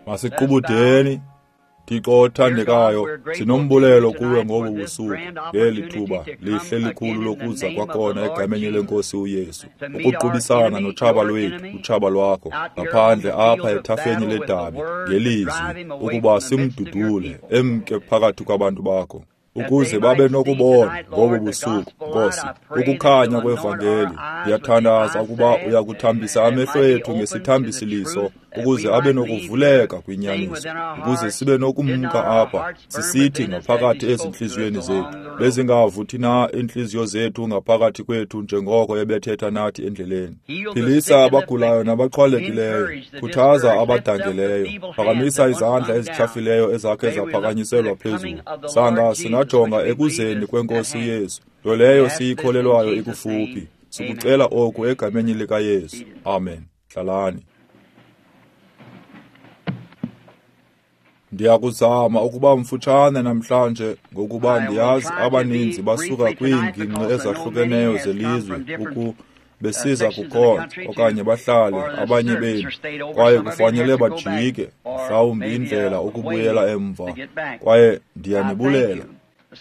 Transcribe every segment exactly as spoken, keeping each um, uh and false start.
Masiqubudeni. Thixo othandekayo, sinombulelo kuwe ngobu busuku ngeli thuba lihle likhulu lokuza kwakhona egameni lenkosi uYesu, ukuqubisana notshaba lwethu, utshaba lwakho, ngaphandle apha ethafeni ledabi ngelizwi, ukuba simdudule emke phakathi kwabantu bakho, ukuze babe nokubona ngobu busuku, Nkosi, ukukhanya kwevangeli. Ndiyathandaza ukuba uyakuthambisa amehlo ethu ngesithambisiliso, ukuze abe nokuvuleka kwinyaniso, ukuze sibe nokumka apha sisithi ngaphakathi ezintliziyweni zethu, bezingavuthi na iintliziyo zethu ngaphakathi kwethu njengoko ebethetha nathi endleleni. Philisa abagulayo nabaxhwalekileyo, khuthaza abadangeleyo, phakamisa izandla ezityhafileyo ezakhe zaphakanyiselwa phezulu. Sanga singajonga ekuzeni kwenkosi uYesu, nto leyo siyikholelwayo ikufuphi. Sikucela oku egameni likaYesu. Amen. Hlalani. Ndiyakuzama ukuba mfutshane namhlanje ngokuba ndiyazi abaninzi basuka kwiingingqi ezahlukeneyo zelizwe uku besiza kukhonza okanye bahlale abanye benu, kwaye kufanele bajike mhlawumbi indlela ukubuyela emva, kwaye ndiyanibulela.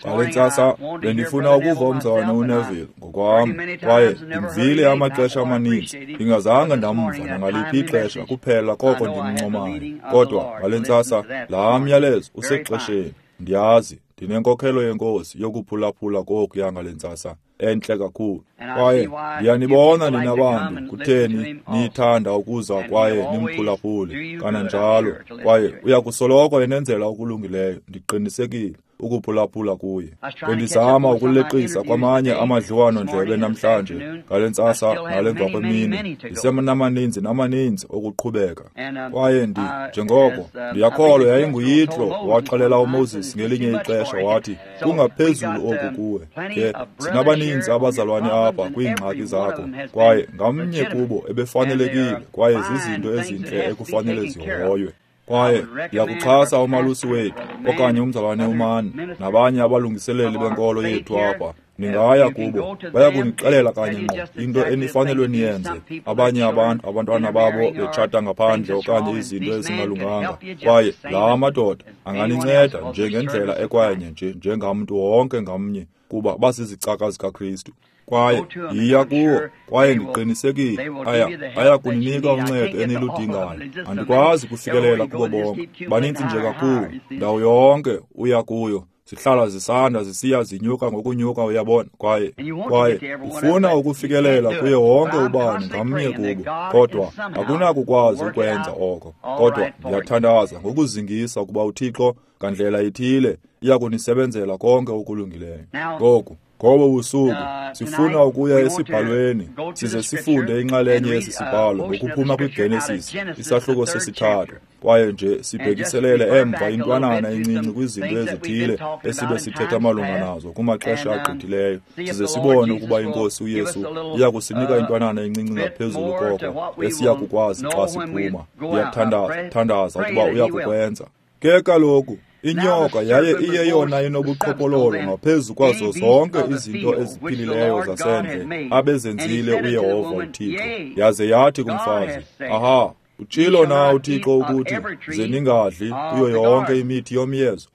Ngale ntsasa bendifuna ukuva umzalwane uNeville ngokwam, kwaye ndimvile amaxesha amaninzi, ndingazange ndamva nangaliphi ixesha kuphela koko ndimncomayo. Kodwa ngale ntsasa laa myalezo usexesheni. Ndiyazi ndinenkokhelo yenkosi yokuphulaphula kokuya ngale ntsasa entle kakhulu, kwaye ndiyanibona nina bantu kutheni niyithanda ukuza kwaye nimphulaphule kananjalo, kwaye uyakusoloko enenzela okulungileyo, ndiqinisekile ukuphulaphula kuye. Bendizama ukuleqisa kwamanye amadliwano-ndlebe namhlanje ngale ntsasa nale mva kwemini, ndisenamaninzi namaninzi okuqhubeka. Kwaye ndi njengoko ndiyakholwa yayinguYitro waxelela uMoses ngelinye ixesha wathi, kungaphezulu oku kuwe. Ke sinabaninzi abazalwane apha kwiingxaki zakho, kwaye ngamnye kubo ebefanelekile, kwaye zizinto ezintle ekufanele zihoywe. Kwaye ndiyakuxhasa umalusi wethu okanye umzalwane uMani nabanye abalungiseleli benkolo yethu apha. Ningaya kubo, bayakunixelela kanye ngqo into enifanelwe niyenze. Abanye abantu, abantwana babo betshata ngaphandle okanye izinto ezingalunganga, kwaye laa madoda anganinceda njengendlela ekwenye nje njengamntu wonke ngamnye, kuba basizicaka zikaKristu. Kwaye yiya kuwo, kwaye ndiqinisekile aya aya kuninika uncedo eniludingayo. Andikwazi kufikelela kubo bonke, baninzi nje kakhulu. Ndawo yonke uya kuyo zihlala zisanda zisiya zinyuka ngokunyuka, uyabona. Kwaye kwaye ufuna ukufikelela kuye wonke ubani ngamnye kubo, kodwa akunakukwazi ukwenza oko. Kodwa ndiyathandaza ngokuzingisa ukuba uThixo ngandlela ithile iya kunisebenzela konke okulungileyo. Ngoku ngobo busuku sifuna ukuya esibhalweni size sifunde inxalenye yesi sibhalo ngokuphuma kwiGenesis isahluko sesithathu, kwaye nje sibhekiselele emva intwanana encinci kwizinto ezithile esibe sithetha malunga nazo kumaxesha agqithileyo, size sibone ukuba inkosi uYesu iya kusinika intwanana encinci ngaphezulu koko esiya kukwazi xa siphuma. Ndiyathandaza thandaza ukuba uya kukwenza. Ke kaloku inyoka yaye iyeyona inobuqhophololo ngaphezu kwazo zonke izinto eziphilileyo zasendle abezenzile uYehova uThixo. Yaze yathi kumfazi, aha, utshilo na uThixo ukuthi ze ningadli kuyo yonke imithi yomyezo?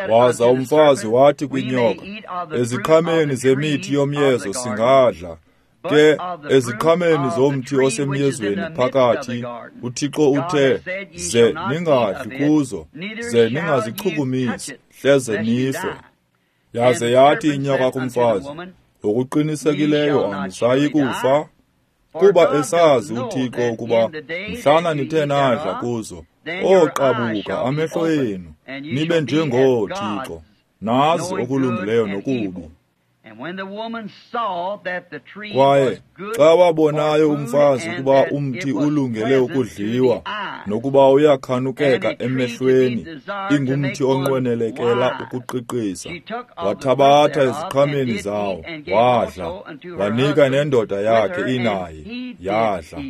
Waza umfazi wathi kwinyoka, eziqhameni zemithi yomyezo singadla, ke eziqhameni zomthi osemyezweni phakathi uThixo uthe, ze ningadli kuzo, ze ningazichukumisi, hleze nife. Yaze yathi inyoka kumfazi, ngokuqinisekileyo anisayi kufa, kuba esazi uThixo ukuba mhlana nithe nadla kuzo, oqabuka amehlo enu, nibe njengooThixo, nazi okulungileyo nokubi. Kwaye xa wabonayo umfazi ukuba umthi ulungele ukudliwa, nokuba uyakhanukeka emehlweni, ingumthi onqwenelekela ukuqiqisa, wathabatha eziqhameni zawo, wadla, wanika nendoda yakhe inaye, yadla.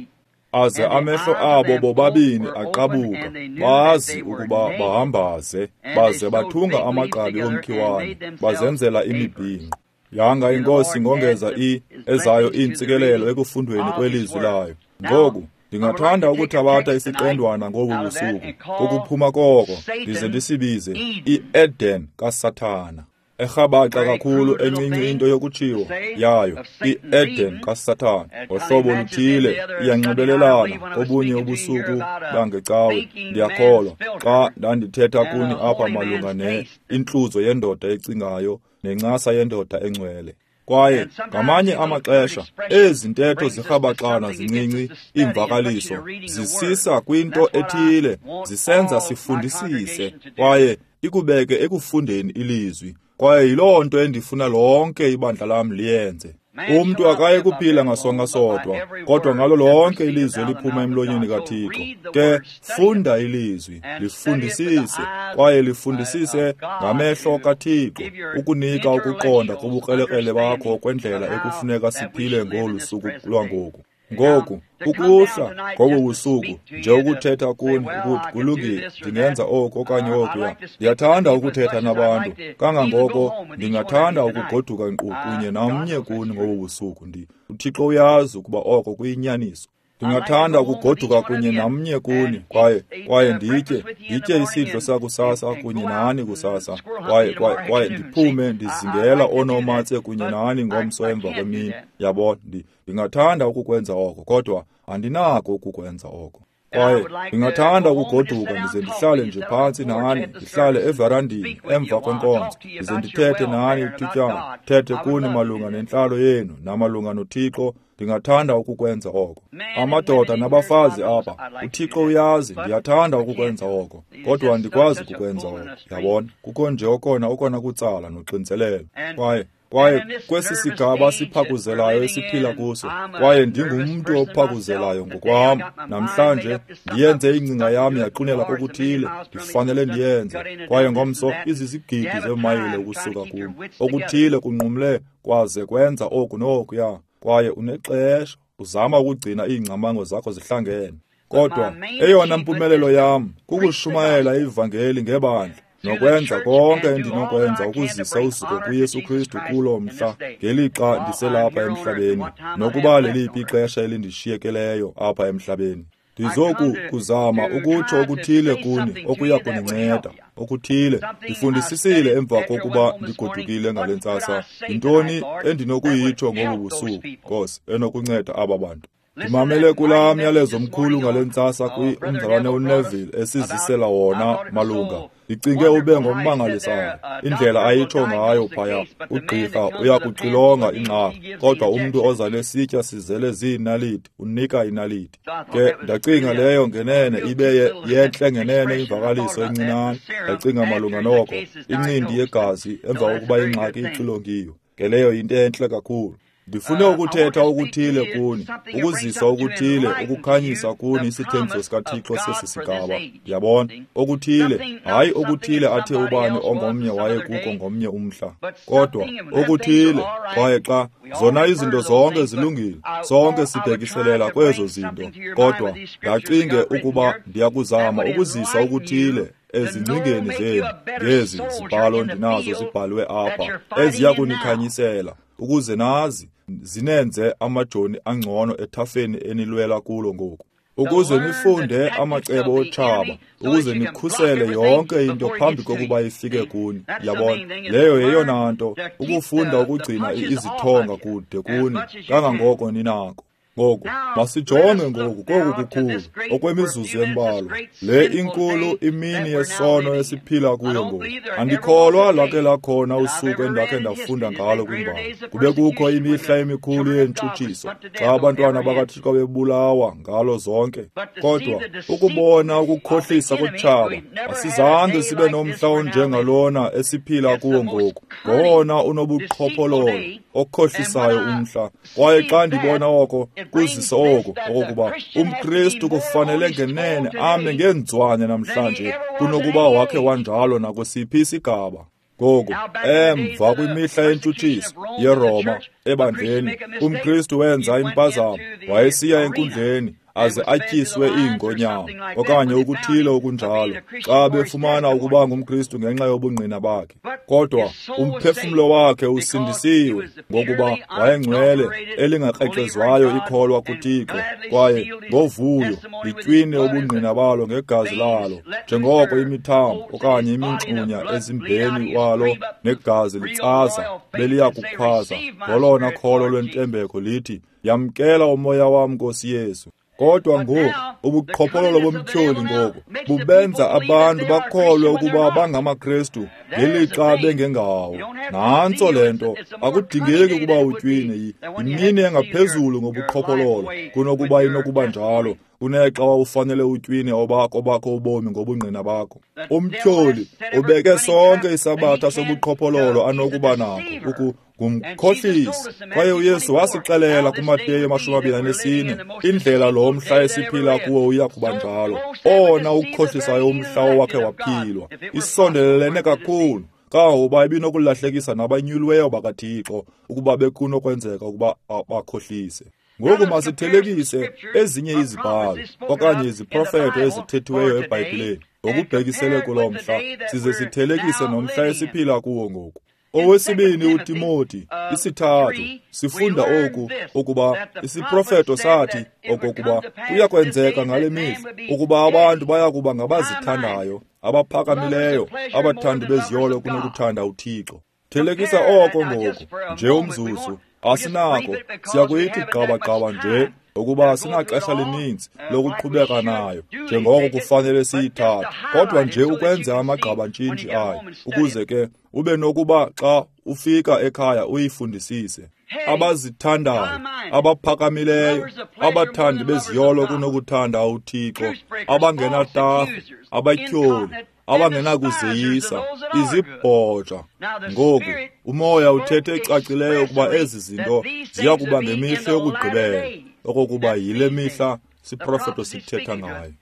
Aze amehlo abo bobabini aqabuka, bazi ukuba bahambaze, baze bathunga amagqabi omkhiwane, bazenzela imibhinqo. Yanga inkosi ngongeza i ezayo iintsikelelo ekufundweni kwelizwi layo. Ngoku Ndingathanda ukuthabatha isiqendwana ngobu busuku, kokuphuma koko, ndize ndisibize i-Eden kaSathana. Erhabaxa kakhulu encinci into yokutshiwo yayo, i-Eden kaSathana. Ngohlobo oluthile iyanxibelelana kobunye ubusuku bangecawe, ndiyakholwa, xa ndandithetha kuni apha malunga ne intluzo yendoda ecingayo nencasa yendoda engcwele. Kwaye ngamanye amaxesha ezi ntetho zirhabaxana zincinci iimvakaliso zisisa kwinto ethile, zisenza sifundisise kwaye ikubeke ekufundeni ilizwi. Kwaye yiloo nto endifuna lonke ibandla lam liyenze. Umntu akaye kuphila ngasonka sodwa, kodwa ngalo lonke ilizwi eliphuma emlonyeni kaThixo. Ke funda ilizwi, lifundisise, kwaye lifundisise ngamehlo kaThixo, ukunika ukuqonda kobukrelekrele bakho kwendlela ekufuneka siphile ngolu suku lwangoku. Ngoku, ukuhla ngobu busuku, nje ukuthetha kuni ukuthi kulungile, ndingenza oku okanye okuya. Ndiyathanda ukuthetha nabantu, kangangoko ndingathanda ukugoduka nkqu kunye namnye kuni ngobu busuku. Ndi uThixo uyazi ukuba oko kuyinyaniso. Ndingathanda ukugoduka kunye namnye kuni, kwaye kwaye nditye nditye isidlo sakusasa kunye nani kusasa, kwaye kwaye kwaye ndiphume ndizingela oonomatse kunye nani ngomso emva kwemini. Yabona, ndingathanda ukukwenza oko, kodwa andinako ukukwenza oko. Kwaye ndingathanda ukugoduka ndize ndihlale nje phantsi nani, ndihlale everandini emva kwenkonzo, ndize ndithethe nani ithutyana, thethe kuni malunga nentlalo yenu namalunga noThixo. Ndingathanda ukukwenza oko. Amadoda nabafazi apha, uThixo uyazi, ndiyathanda ukukwenza oko, kodwa andikwazi ukukwenza oko. Yabona, kukho nje okona okona kutsala noxinzelelo. Kwaye kwaye kwesi sigaba siphakuzelayo esiphila kuso, kwaye ndingumntu ophakuzelayo ngokwam. Namhlanje ndiyenze ingcinga yam yaqinela kokuthile, ndifanele ndiyenze. Kwaye ngomso izizigidi zeemayile ukusuka kum, okuthile kunqumle kwaze kwenza oku nokuya. Kwaye unexesha uzama ukugcina iingcamango zakho zihlangene. Kodwa eyona mpumelelo yam kukushumayela ivangeli ngebandla, nokwenza konke endinokwenza ukuzisa uzuko kuYesu Kristu kulo mhla, ngelixa ndiselapha emhlabeni, nokuba leliphi ixesha elindishiyekeleyo apha emhlabeni. Ndizoku kuzama ukutsho okuthile kuni okuya kuninceda, okuthile. Ndifundisisile emva kokuba ndigodukile ngale ntsasa, yintoni endinokuyitsho ngobu busuku, Nkosi, enokunceda aba bantu. Ndimamele kulaa myalezo mkhulu ngale ntsasa kwi umzalwane uNeville esizisela wona malunga. Ndicinge ube ngommangalisayo indlela ayitsho ngayo phaya. Ugqirha uyakuxilonga ingxaki, kodwa umntu oza nesitya sizele ziinaliti unika inaliti. Ke ndacinga leyo ngenene ibe yentle ngenene imvakaliso encinane. Ndacinga malunga noko, incindi yegazi emva kokuba ingxaki ixilongiwe. Ke leyo yinto entle kakhulu. Ndifune ukuthetha okuthile kuni, ukuzisa okuthile, ukukhanyisa kuni isithembiso sikaThixo sesi sigaba. Ndiyabona, okuthile, hayi okuthile athe ubani ongomnye waye kuko ngomnye umhla, kodwa okuthile. Kwaye xa zona izinto zonke zilungile, sonke sibhekiselela kwezo zinto, kodwa ndacinge ukuba ndiyakuzama ukuzisa okuthile ezingcingeni zenu ngezi zibhalo ndinazo zibhalwe apha, eziya kunikhanyisela ukuze nazi zinenze amajoni angcono ethafeni enilwela kulo ngoku, ukuze nifunde amacebo otshaba, ukuze nikhusele yonke into phambi kokuba ifike kuni. Yabona, leyo yeyona nto, ukufunda ukugcina izithonga kude kuni kangangoko ninako. Ngoku masijonge ngoku koku kukhulu okwemizuzu embalwa, le inkulu imini yesono esiphila kuyo ngoku. Andikholwa lwake lakhona usuku endakhe ndafunda ngalo kwimbali. Kube kukho imihla emikhulu yentshutshiso xa abantwana bakaThixo bebulawa ngalo zonke. Kodwa ukubona ukukhohlisa kotshaba, asizange sibe nomhla onjengalona esiphila kuwo ngoku, ngowona unobuqhophololo okhohlisayo umhla. Kwaye xa ndibona oko kuzisa oko okokuba umKristu kufanele ngenene ame ngeenzwane namhlanje kunokuba wakhe wanjalo nakwesiphi isigaba. Ngoku emva kwimihla yentshutshiso yeRoma ebandleni, umKristu wenza impazamo, wayesiya enkundleni aze atyiswe iingonyama okanye okuthile okunjalo xa befumana ukuba ngumKristu ngenxa yobungqina bakhe. Kodwa umphefumlo wakhe usindisiwe ngokuba wayengcwele, elingakrexezwayo ikholwa kuThixo, kwaye ngovuyo litywine ubungqina balo ngegazi lalo, njengoko imithambo okanye imingxunya ezimbeni walo negazi litsaza beliya kukhwaza ngolona kholo lwentembeko lithi, yamkela umoya wam, Nkosi Yesu. Kodwa ngoku ubuqhophololo bomtyholi ngoku bubenza abantu bakholwe ukuba bangamaKristu ngelixa bengengawo. Nantso le nto, akudingeki ukuba utywine. Yimini engaphezulu ngobuqhophololo kunokuba inokuba njalo kunexa wawufanele utywine obakho obakho ubomi ngobungqina bakho. Umtyholi ubeke sonke isabatha sobuqhophololo anokuba nako ngumkhohlisi. Kwaye uYesu wasixelela kuMateyu amashumi amabini anesine indlela lo mhla esiphila kuwo uya kuba njalo, owona ukukhohlisayo umhla owakhe waphilwa. Isondelelene kakhulu kangangokuba ibinokulahlekisa nabanyuliweyo bakaThixo ukuba bekunokwenzeka ukuba bakhohlise. Ngoku masithelekise ezinye izibhalo okanye iziprofeto ezithethiweyo eBhayibhileni ngokubhekisele kulo mhla, size sithelekise nomhla esiphila kuwo ngoku. Owesibini uTimoti isithathu sifunda oku, ukuba isiprofeto sathi okokuba kuyakwenzeka ngale mihla ukuba abantu baya kuba ngabazithandayo, abaphakamileyo, abathandi beziyolo kunokuthanda uThixo. Thelekisa oko ngoku nje umzuzu. Asinako, siyakuyithi gqaba-gqaba nje ukuba sinaxesha lininzi lokuqhubeka nayo njengoko kufanele siyithathe, kodwa nje ukwenza amagqabantshintshi ayo ukuze ke ube nokuba xa ufika ekhaya uyifundisise. Abazithandayo, abaphakamileyo, abathandi beziyolo kunokuthanda uThixo, abangenatarhu, abatyholi, abangenakuzeyisa, izibhoja. Ngoku umoya uthethe ecacileyo ukuba ezi zinto ziya kuba ngemihla yokugqibela, okokuba yile mihla siprofeto sithetha ngayo.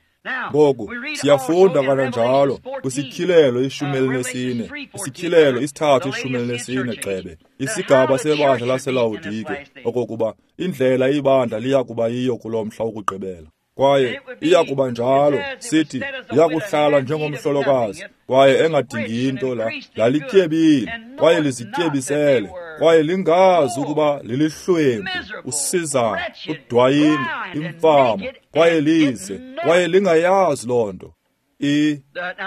Ngoku siyafunda kananjalo kwisityhilelo ishumi elinesine, isityhilelo isithathu ishumi elinesine gxebe, isigaba sebandla laseLawodike, okokuba indlela ibandla liya kuba yiyo kulo mhla wokugqibela. Kwaye iya kuba njalo, sithi iyakuhlala njengomhlolokazi, kwaye engadingi into la lalityebile, kwaye lizityebisele, kwaye lingazi ukuba lilihlwempu, usizana, udwayini, imfama, kwaye lize, kwaye lingayazi loo nto. I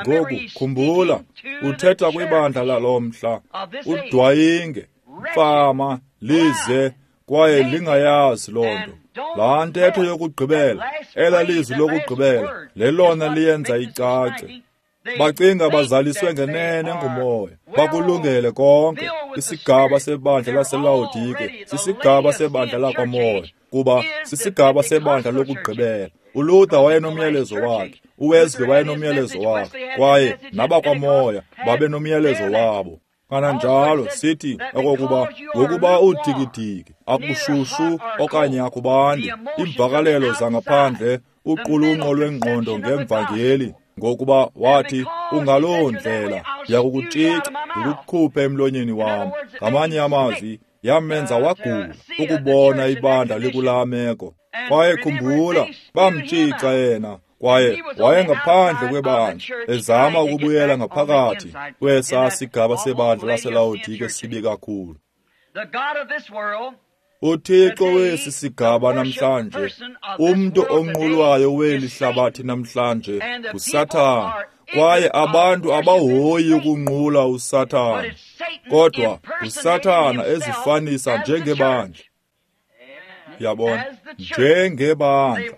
ngoku khumbula, uthetha kwibandla lalo mhla, udwayinge, mfama, lize, kwaye lingayazi loo nto. Laa ntetho yokugqibela, ela lizwi lokugqibela, lelona liyenza icace. Bacinga bazaliswe ngenene ngumoya, bakulungele konke. Isigaba sebandla laseLawodike sisigaba sebandla lakwamoya, kuba sisigaba sebandla lokugqibela. uLuther wayenomyalezo wakhe, uWesley wayenomyalezo wakhe, kwaye nabakwamoya babenomyalezo wabo. Kananjalo sithi okokuba ngokuba udikidiki, akushushu okanye akubandi, iimvakalelo zangaphandle, uqulunqo lwengqondo ngemvangeli, ngokuba wathi ungaloo ndlela ndiyakukutshica ndikukhuphe emlonyeni wam. Ngamanye amazwi, yamenza wagula ukubona ibandla likulaa meko. Kwaye khumbula, bamtshica yena, kwaye wayengaphandle kwebandla ezama ukubuyela ngaphakathi kwesaa sigaba sebandla laseLawodike sibi kakhulu. UThixo wesi sigaba namhlanje, umntu onqulwayo weli hlabathi namhlanje nguSathana, kwaye abantu abahoyi ukunqula uSathana, kodwa uSathana ezifanisa njengebandla. Yabona, njengebandla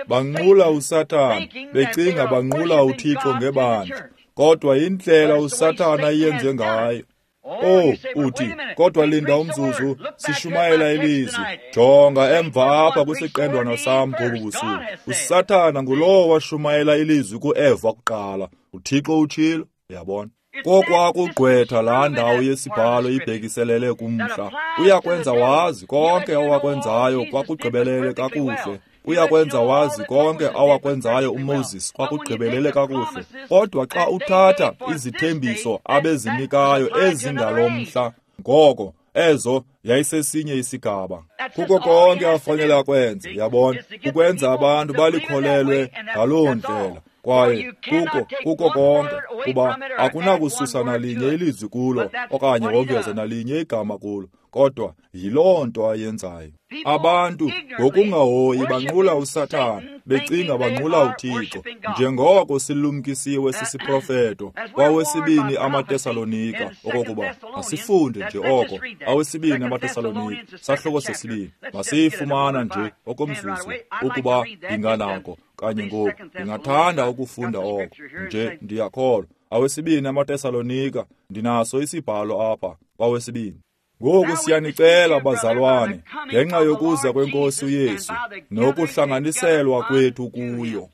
banqula uSathana, becinga banqula uThixo ngebandla, kodwa indlela uSathana iyenze ngayo. Oh, uthi, kodwa linda umzuzu, sishumayela ilizwi. Jonga emva apha kwisiqendwana sam ngobu busuku. USathana ngulowo washumayela ilizwi kuEva kuqala. UThixo utshilo, yabona. Kokwakugqwetha laa ndawo yesibhalo ibhekiselele kumhla. Uyakwenza wazi konke owakwenzayo kwakugqibelele kakuhle. Uyakwenza wazi konke awakwenzayo uMoses kwakugqibelele kakuhle. Kodwa xa uthatha izithembiso abezinikayo ezingalo mhla, ngoko Ezo yayisesinye isigaba. Kuko konke afanele akwenze, yabona, ukwenza abantu balikholelwe ngaloo ndlela. Kwaye kuko kuko konke, kuba akunakususa nalinye ilizwi kulo okanye wongeze nalinye igama kulo, kodwa yiloo nto ayenzayo. Abantu ngokungahoyi banqula uSathana, becinga banqula uThixo, njengoko silumkisiwe sisiprofeto kwawesibini amaTesalonika, okokuba masifunde nje oko awesibini amaTesalonika sahluko sesibini, masiyifumana nje okomzuzu ukuba ndinganako kanye ngoku. Ndingathanda ukufunda oko nje, ndiyakholwa. Awesibini amaTesalonika, ndinaso isibhalo apha kwawesibini. Ngoku siyanicela bazalwane, ngenxa yokuza kweNkosi uYesu nokuhlanganiselwa kwethu kuyo.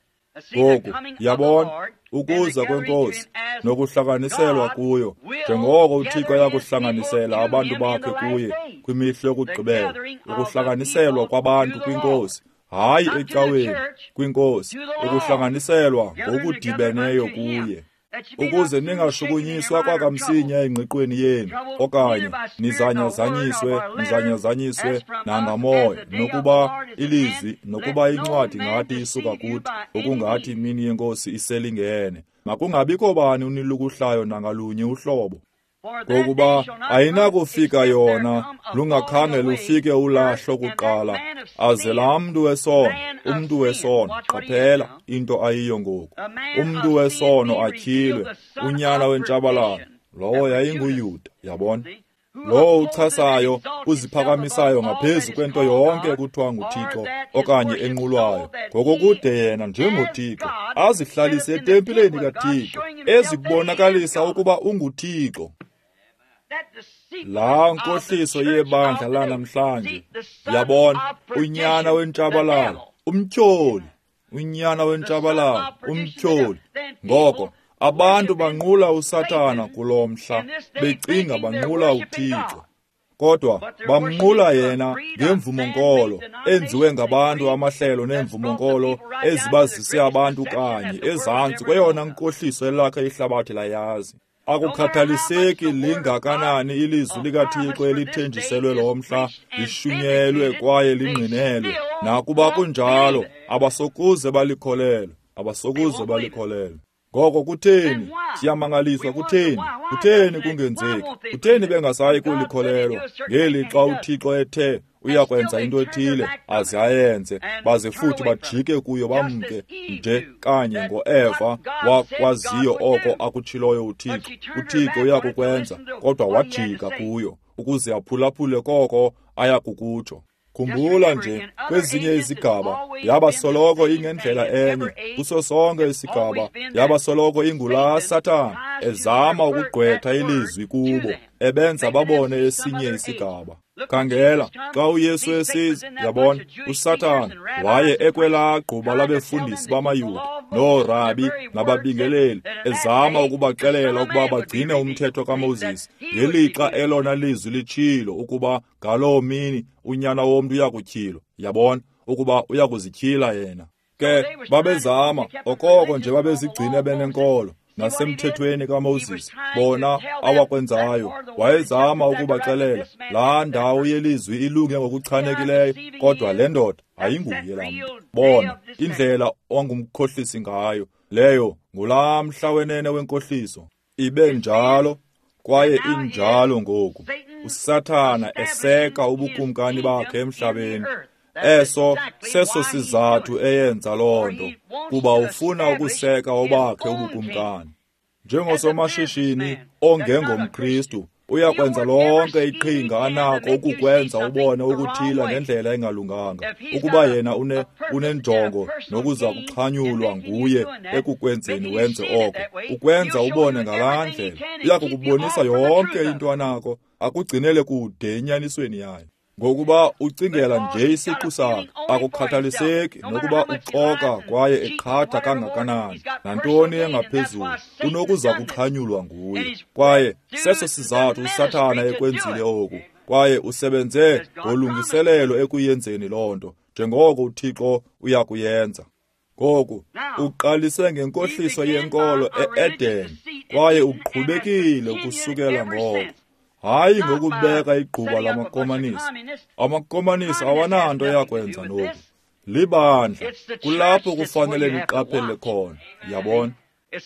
Ngoku yabona, ukuza kweNkosi nokuhlanganiselwa kuyo, njengoko uThixo ayakuhlanganisela abantu bakhe kuye kwimihla yokugqibela, ukuhlanganiselwa kwabantu kwiNkosi, hayi ecaweni, kwiNkosi, ukuhlanganiselwa ngokudibeneyo kuye, ukuze ningashukunyiswa kwakamsinya engqiqweni yenu, okanye nizanyazanyiswe nizanyazanyiswe nangamoya, nokuba ilizwi nokuba incwadi ngathi isuka kuthi, okungathi imini yeNkosi iselingene. Makungabikho bani unilukuhlayo nangalunye uhlobo, ngokuba ayinakufika yona lungakhange lufike ulahlo kuqala, aze laa mntu wesono, umntu wesono, qaphela into ayiyo ngoku, umntu wesono atyhilwe, unyana wentshabalalo, lowo yayinguYuda, yabona, lowo uchasayo, uziphakamisayo ngaphezu kwento yonke ekuthiwa nguThixo okanye enqulwayo, ngokokude yena njengoThixo azihlalise etempileni kaThixo, ezikubonakalisa ukuba unguThixo. Laa nkohliso yebandla lanamhlanje, yabona, unyana wentshabalalo, umtyholi, unyana wentshabalalo, umtyholi. Ngoko abantu banqula uSathana kulo mhla, becinga banqula uThixo, kodwa bamnqula yena ngemvumo-nkolo enziwe ngabantu, amahlelo neemvumo-nkolo ezibazise abantu kanye ezantsi kweyona nkohliso elakhe ihlabathi layazi. Akukhathaliseki lingakanani ilizwi likaThixo elithenjiselwe lo mhla, lishunyelwe kwaye lingqinelwe, nakuba kunjalo abasokuze balikholelwe, abasokuze balikholelwe. Ngoko kutheni? Siyamangaliswa, kutheni? Kutheni kungenzeki? Kutheni bengasayi kulikholelwa ngelixa uThixo ethe uyakwenza into ethile aze ayenze, baze futhi bajike kuyo bamke nje kanye ngoEva wakwaziyo oko akutshiloyo uThixo. UThixo uyakukwenza, kodwa wajika kuyo ukuze aphulaphule koko ayakukutsho. Khumbula nje, kwezinye izigaba yaba soloko ingendlela enye, kuso sonke isigaba yaba soloko ingulaa Sathana ezama ukugqwetha ilizwi kubo, ebenza babone esinye isigaba. Khangela, xa uYesu esiza, yabona, uSathana waye ekwelaa gquba labefundisi bamaYuda, noorabi nababingeleli, ezama ukubaxelela ukuba bagcine umthetho kaMoses, ngelixa elona lizwi litshilo ukuba ngaloo mini unyana womntu uyakutyhilwa, yabona, ukuba uyakuzityhila yena. Ke babezama okoko nje babezigcine benenkolo nasemthethweni kaMoses, bona awakwenzayo. Wayezama ukubaxelela laa ndawo yelizwi ilunge ngokuchanekileyo, kodwa le ndoda ayinguye laa mntu. Bona indlela ongumkhohlisi ngayo, leyo ngulaa mhla wenene wenkohliso. Ibe njalo kwaye injalo ngoku. uSathana eseka ubukumkani bakhe emhlabeni. Eso seso sizathu eyenza loo nto, kuba ufuna ukuseka obakhe ubukumkani. Njengosomashishini ongengomKristu, uyakwenza lonke iqhinga anako ukukwenza ubone ukuthile ngendlela engalunganga, ukuba yena une unenjongo nokuza kuxhanyulwa nguye ekukwenzeni wenze oko, ukwenza ubone ngalaa ndlela. Uyakukubonisa yonke into anako, akugcinele kude enyanisweni yayo. Ngokuba ucingela nje isiqu sakhe, akukhathaliseki nokuba uxoka kwaye eqhatha kangakanani, nantoni engaphezulu, unokuza kuxhanyulwa nguye. Kwaye seso sizathu uSathana ekwenzile oku, kwaye usebenze ngolungiselelo ekuyenzeni loo nto, njengoko uThixo uyakuyenza. Ngoku uqalise ngenkohliso yenkolo e-Eden, kwaye uqhubekile ukusukela ngoko. Hayi ngokubeka igquba lamakomanisi. Amakomanisi awananto yakwenza noku. Libandla, kulapho kufanele niqaphele khona, yabona.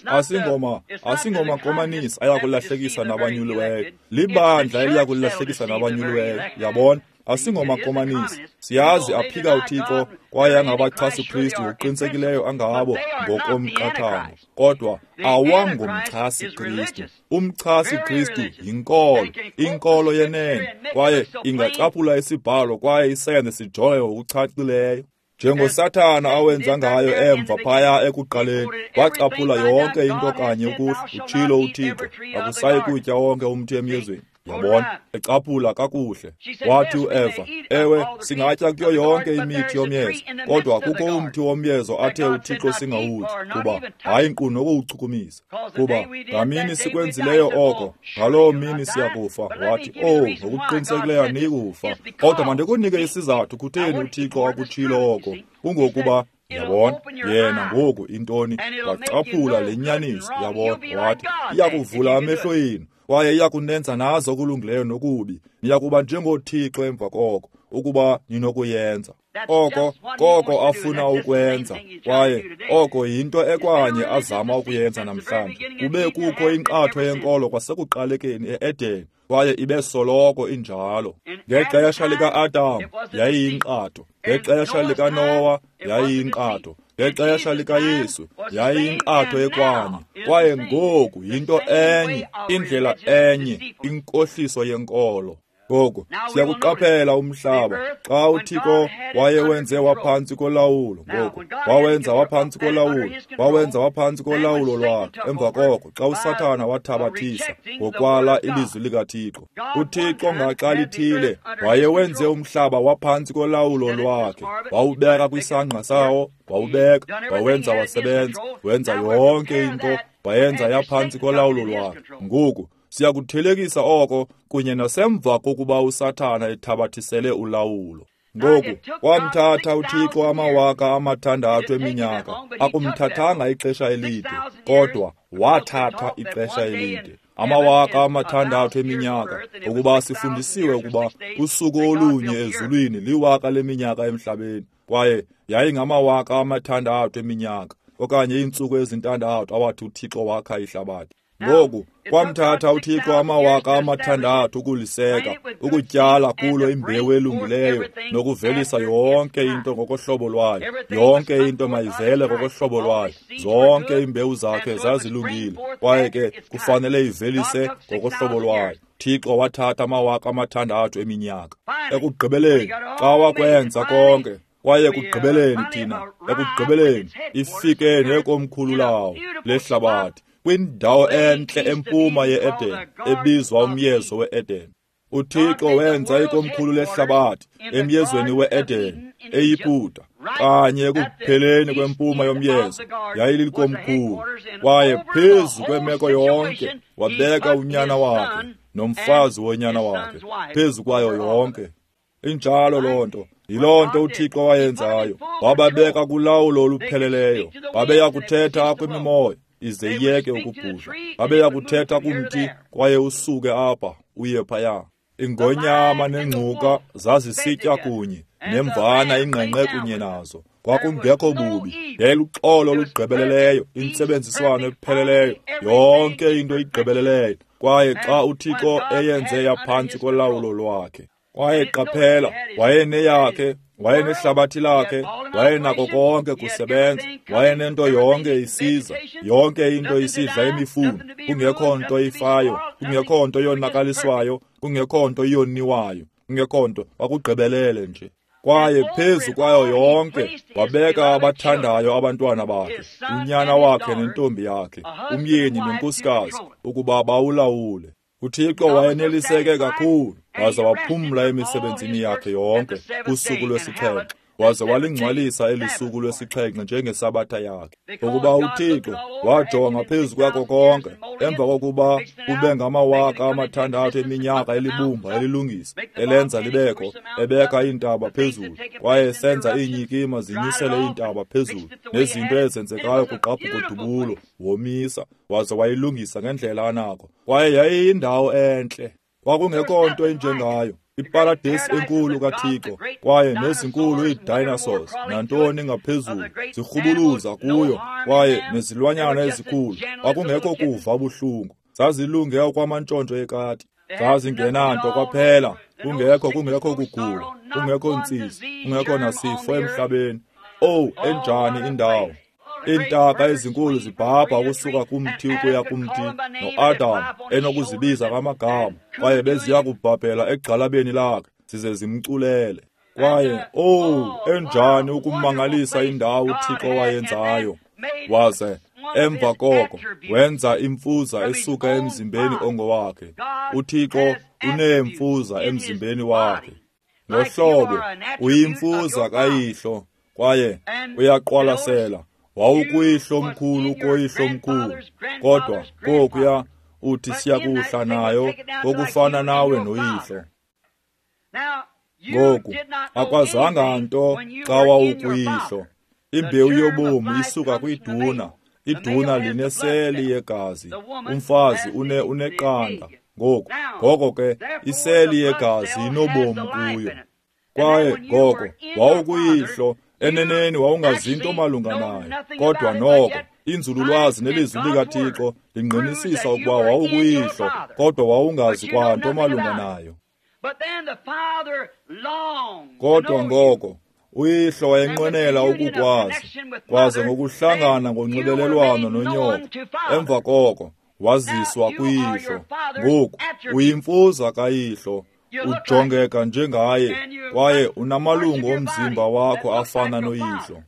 Asingoma, asingoma komanisi ayakulahlekisa nabanyuliweyo. Libandla eliyakulahlekisa nabanyuliweyo, yabona. Asingoma komanisi. Siyazi aphika uThixo kwaye angabachasi Kristu ngokuqinisekileyo angabo ngokomqathango, kodwa awangomchasi Kristu. Umchasi Kristu yinkolo, inkolo yenene, kwaye ingacaphula isibhalo kwaye isenze sijonge ngokuchachileyo. Njengosathana awenza ngayo emva phaya ekuqaleni, wacaphula yonke into kanye ukuhla, utshilo uThixo, akusayi kutya wonke umthi emyezweni. Yabona, ecaphula kakuhle. Wathi uEva, ewe, singatya kuyo yonke imithi yomyezo, kodwa kukho umthi womyezo athe uThixo singawutyi, kuba hayi nkqu nokuwuchukumisa. Kuba ngamini sikwenzileyo oko, ngaloo mini siyakufa. Wathi, oh, ngokuqinisekileyo aniyikufa. Kodwa mandikunike isizathu kutheni uThixo akutshilo oko, kungokuba yabona, yena ngoku intoni, wacaphula le nyaniso, yabona, wathi, iyakuvula amehlo enu, kwaye iyakunenza nazo okulungileyo nokubi. Niyakuba njengoThixo emva koko, ukuba ninokuyenza. Oko koko afuna ukwenza, kwaye oko yinto ekwanye azama ukuyenza namhlanje. Kube kukho inkqatho yenkolo kwasekuqalekeni e-Eden, kwaye ibe soloko injalo. Ngexesha lika-Adam yayiyinkqatho, ngexesha likaNowa yayiyinkqatho, ngexesha likaYesu yayiyinkqatho ekwanye, kwaye ngoku yinto enye, indlela enye, inkohliso yenkolo. Ngoku siyakuqaphela umhlaba xa uThixo wayewenze waphantsi kolawulo. Ngoku wawenza waphantsi kolawulo, wawenza waphantsi kolawulo lwakhe. Emva koko xa uSathana wathabathisa ngokwala ilizwi likaThixo, uThixo ngaxa lithile wayewenze umhlaba waphantsi kolawulo lwakhe, wawubeka kwisangqa sawo, wawubeka, wawenza wasebenza, wenza yonke into, wayenza yaphantsi kolawulo lwakhe. Ngoku siyakuthelekisa oko kunye nasemva kokuba uSathana ethabathisele ulawulo. Ngoku wamthatha uThixo amawaka amathandathu eminyaka. Akumthathanga ixesha elide, kodwa wathatha ixesha elide. Amawaka amathandathu eminyaka, ukuba sifundisiwe ukuba usuku olunye ezulwini liwaka leminyaka emhlabeni, kwaye yayingamawaka amathandathu eminyaka okanye iintsuku ezintandathu awathi uThixo wakha ihlabathi. Ngoku kwamthatha uThixo amawaka amathandathu ukuliseka, ukutyala kulo imbewu elungileyo nokuvelisa yonke into ngokohlobo lwayo. Yonke into mayivele ngokohlobo lwayo. Zonke iimbewu zakhe zazilungile, kwaye ke kufanele ivelise ngokohlobo lwayo. Thixo wathatha amawaka amathandathu eminyaka. Ekugqibeleni, xa wakwenza konke, kwaye ekugqibeleni thina, ekugqibeleni ifike nekomkhulu lawo lehlabathi, kwindawo entle empuma ye-Eden, ebizwa umyezo we-Eden. UThixo wenza ikomkhulu lehlabathi emyezweni we-Eden, eYiputa, kanye ekupheleni kwempuma yomyezo, yayilikomkhulu. Kwaye phezu kwemeko yonke wabeka unyana wakhe nomfazi wonyana wakhe phezu kwayo yonke. Injalo loo nto. Yiloo nto uThixo wayenzayo. Wababeka kulawulo olupheleleyo. Babeya kuthetha kwimimoya ize iyeke ukubhudla. Babeya kuthetha kumthi kwaye usuke apha uye phaya. Ingonyama nengcuka zazisitya kunye, nemvana ingqengqe kunye nazo. Kwakungekho bubi, yayiluxolo olugqibeleleyo, intsebenziswano epheleleyo, yonke into igqibeleleyo. Kwaye xa uThixo eyenze yaphantsi kolawulo lwakhe, kwaye qaphela, wayeneyakhe, wayenehlabathi lakhe, wayenako konke kusebenza, wayenento yonke isiza, yonke into isidla imifuno, kungekho nto ifayo, kungekho nto yonakaliswayo, kungekho nto yoniwayo, kungekho nto, kwakugqibelele nje. Kwaye phezu kwayo yonke wabeka abathandayo abantwana bakhe, unyana wakhe nentombi yakhe, umyeni nenkosikazi, ukuba bawulawule. uThixo wayeneliseke kakhulu, waza waphumla emisebenzini yakhe yonke kusuku lwesixhenxe, waze walingcwalisa eli suku lwesixhenxe njengesabatha yakhe. Ngokuba uThixo wajonga phezu kwako konke, emva kokuba kube ngamawaka amathandathu eminyaka elibumba, elilungisa, elenza libekho, ebeka iintaba phezulu, kwaye esenza iinyikima zinyusele iintaba phezulu, nezinto ezenzekayo kugqabhuko-dubulo, womisa, waze wayilungisa ngendlela anako. Kwaye yayiyindawo entle. Kwakungekho nto injengayo, iparadesi enkulu kaThixo, kwaye nezinkulu ii-dinosaurs nantoni ngaphezulu zirhubuluza kuyo, kwaye nezilwanyana ezikhulu. Kwakungekho kuva buhlungu, zazilunge okwamantshontsho ekati, zazingenanto kwaphela, kungekho kungekho kugula, kungekho ntsizi, kungekho nasifo emhlabeni. Owu, enjani indawo! Iintaka ezinkulu zibhabha ukusuka kumthi ukuya kumthi, noAdam enokuzibiza ngamagama, kwaye beziya kubhabhela egxalabeni lakhe zize zimculele. Kwaye owu, enjani ukumangalisa indawo uThixo wayenzayo! Waze emva koko wenza imfuza esuka emzimbeni ongowakhe. UThixo uneemfuza emzimbeni wakhe. Ngohlobo uyimfuza kayihlo, kwaye uyaqwalasela wawukuyihlo mkhulu koyihlo mkhulu, kodwa kokuya uthi siyakuhla nayo ngokufana nawe noyihlo. Ngoku akwazanga nto xa wawukuyihlo. Imbewu yobomi isuka kwiduna, iduna lineseli yegazi, umfazi une uneqanda. Ngoku ngoko ke iseli yegazi inobomi kuyo. Kwaye ngoko wawukuyihlo, eneneni wawungazinto malunga nayo, kodwa noko inzululwazi nelizwi likaThixo lingqinisisa ukuba wawukuyihlo, kodwa wawungazi kwanto malunga nayo. Kodwa ngoko uyihlo wayenqwenela ukukwazi, kwaze ngokuhlangana ngonxibelelwano nonyoko, emva koko waziswa kuyihlo. Ngoku uyimfuza kayihlo, ujongeka njengaye, kwaye unamalungu omzimba wakho afana noyihlo.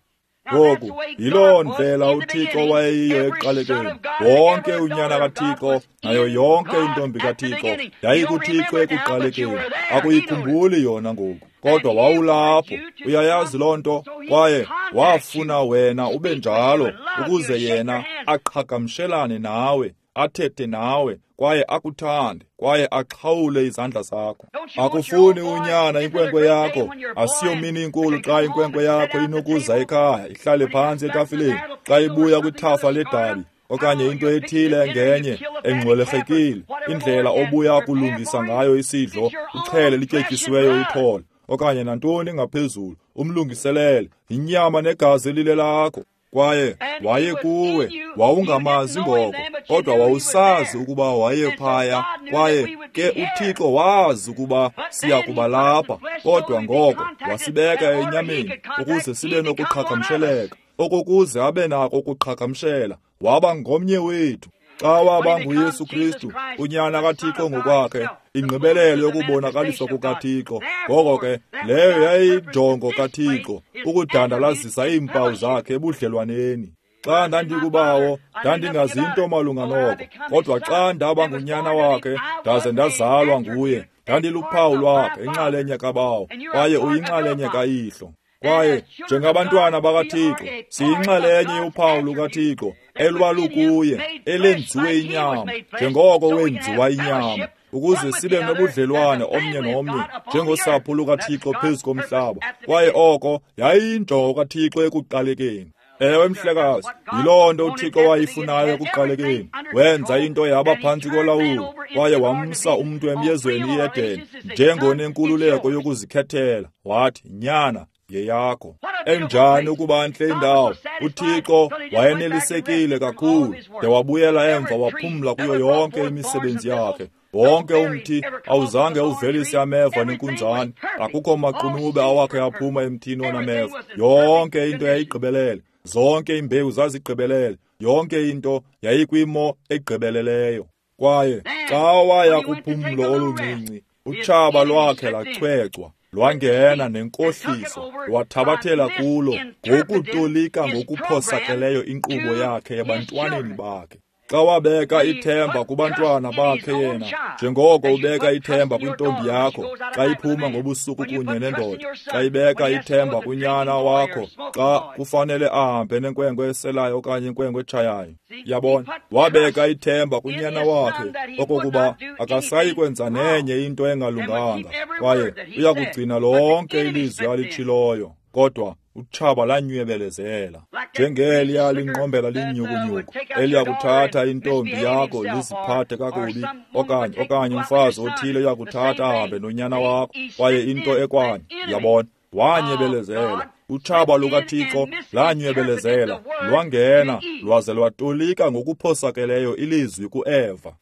Ngoku yiloo ndlela uThixo wayeyiyo ekuqalekeni. Wonke unyana kaThixo nayo yonke intombi kaThixo yayikuThixo ekuqalekeni. Akuyikhumbuli yona ngoku, kodwa wawulapho, uyayazi loo nto, kwaye wafuna wena ube njalo ukuze yena aqhagamshelane nawe, athethe nawe, kwaye akuthande, kwaye axhawule izandla zakho. Akufuni unyana inkwenkwe yakho. Asiyomini inkulu xa inkwenkwe yakho inokuza ekhaya ihlale phantsi etafileni xa ibuya kwithafa ledabi okanye into ethile engenye engxwelerhekile, indlela obuya kulungisa ngayo isidlo, uchele lityetyisiweyo ithole okanye nantoni ngaphezulu, umlungiselele inyama negazi elile lakho. Kwaye waye kuwe, wawungamazi ngoko, kodwa wawusazi ukuba waye phaya, kwaye ke uThixo wazi ukuba siya kuba lapha, kodwa ngoko wasibeka enyameni ukuze sibe nokuqhagamsheleka, okokuze abe nako ukuqhagamshela, waba ngomnye wethu. Xa waba nguYesu Kristu, unyana kaThixo ngokwakhe, ingqibelelo yokubonakaliswa kukaThixo. Ngoko ke leyo yayinjongo kaThixo, ukudandalazisa iimpawu zakhe ebudlelwaneni. Xa ndandikubawo, ndandingazinto malunga noko, kodwa xa ndaba ngunyana wakhe, ndaze ndazalwa nguye, ndandiluphawu lwakhe, inxalenye kabawo, kwaye uyinxalenye kayihlo. Kwaye njengabantwana bakaThixo, siyinxalenye yophawu lukaThixo elwalukuye, elenziwe inyama, njengoko wenziwa inyama, ukuze sibe nobudlelwane omnye nomnye njengosapho lukaThixo phezu komhlaba. Kwaye oko yayiyinjongo kaThixo ekuqalekeni. Ewe mhlekazi, yiloo nto uThixo wayifunayo ekuqalekeni. Wenza into yaba phantsi kolawulo, kwaye wamsa umntu emyezweni iEden njengonenkululeko yokuzikhethela. Wathi, nyana, yeyakho. Enjani ukuba ntle indawo! UThixo wayenelisekile kakhulu de wabuyela emva waphumla kuyo yonke imisebenzi yakhe. Wonke umthi awuzange uvelise ameva nenkunzane, akukho maqunube awakhe aphuma emthini onameva. Yonke into yayigqibelele, zonke iimbewu zazigqibelele, yonke into yayikwimo egqibeleleyo. Kwaye xa waya kuphumlo oluncinci, utshaba lwakhe lachwechwa, lwangena nenkohliso, lwathabathela kulo ngokutolika ngokuphosakeleyo inkqubo yakhe ebantwaneni bakhe. Xa wabeka ithemba kubantwana bakhe yena, njengoko ubeka ithemba kwintombi yakho xa iphuma ngobusuku kunye nendoda, xa ibeka ithemba kunyana wakho xa kufanele ahambe nenkwenkwe eselayo okanye inkwenkwe etshayayo. Yabona, wabeka ithemba kunyana wakhe okokuba akasayi kwenza nenye into engalunganga, kwaye uya kugcina lonke ilizwi alitshiloyo. Kodwa Utshaba lanywebelezela njengeliya linqombela linyhukunyhuku eliyakuthatha intombi yakho liziphathe kakubi, okanye okanye umfazi othile uyakuthatha ahambe nonyana wakho, kwaye into ekwanye. Uyabona, wanyebelezela. Utshaba lukaThixo lanywebelezela, lwangena lwaze lwatolika ngokuphosakeleyo ilizwi kuEva.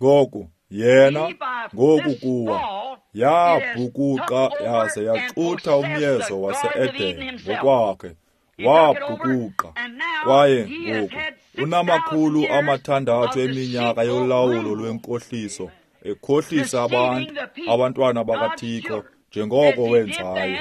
Ngoku yena ngoku kuwa yabhukuqa yaze yaxutha umyezo wase-Eden ngokwakhe. Wabhukuqa kwaye ngoku unamakhulu amathandathu eminyaka yolawulo lwenkohliso, ekhohlisa abantu, abantwana bakaThixo, njengoko wenzayo,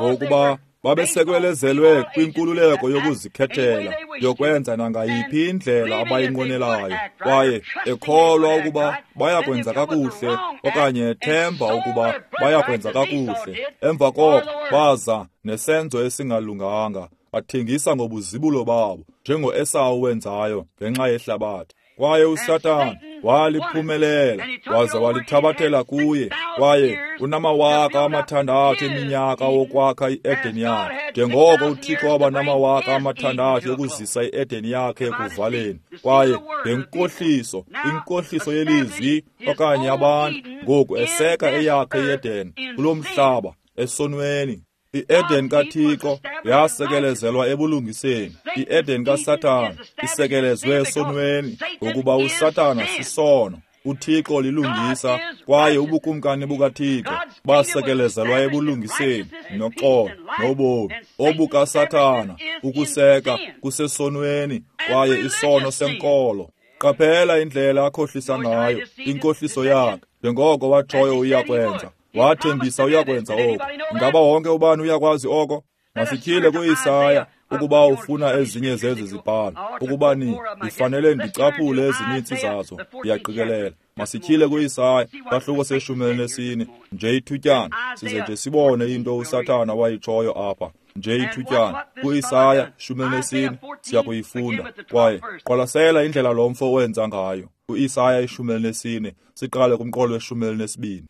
ngokuba babesekwelezelwe kwinkululeko yokuzikhethela yokwenza nangayiphi indlela abayinqwenelayo, kwaye ekholwa ukuba bayakwenza kakuhle okanye ethemba ukuba bayakwenza kakuhle. Emva koko baza nesenzo esingalunganga, bathengisa ngobuzibulo babo njengoEsawu wenzayo ngenxa yehlabathi. Kwaye uSathana waliphumelela waze walithabathela kuye, kwaye unamawaka amathandathu eminyaka wokwakha i-Eden yakhe, njengoko uThixo waba namawaka amathandathu yokuzisa i-Eden yakhe ekuvaleni. Kwaye ngenkohliso, inkohliso yelizwi okanye abantu, ngoku eseka eyakhe i-Eden kulo mhlaba esonweni. I-Eden kaThixo yasekelezelwa ebulungiseni. I-Eden kaSathana isekelezwe esonweni, ngokuba uSathana sisono, uThixo lilungisa, kwaye ubukumkani bukaThixo basekelezelwa ebulungiseni noxolo nobomi. ObukaSathana ukuseka kusesonweni, kwaye isono senkolo. Qaphela indlela akhohlisa ngayo, inkohliso yakhe, njengoko watshoyo uyakwenza. Wathembisa uyakwenza oko. Ingaba wonke ubani uyakwazi oko? Masityhile kuIsaya ukuba ufuna ezinye zezi zibhalo, ukuba ni ndifanele ndicaphule ezininzi zazo, ndiyaqikelela. Masityhile kuIsaya sahluko seshumi elinesine, nje ithutyana, size nje sibone into uSathana wayitshoyo apha. Nje ithutyana kuIsaya shumi elinesine siyakuyifunda. Kwaye qwalasela indlela lo mfo wenza ngayo. KuIsaya ishumi elinesine siqale kumqolo weshumi elinesibini.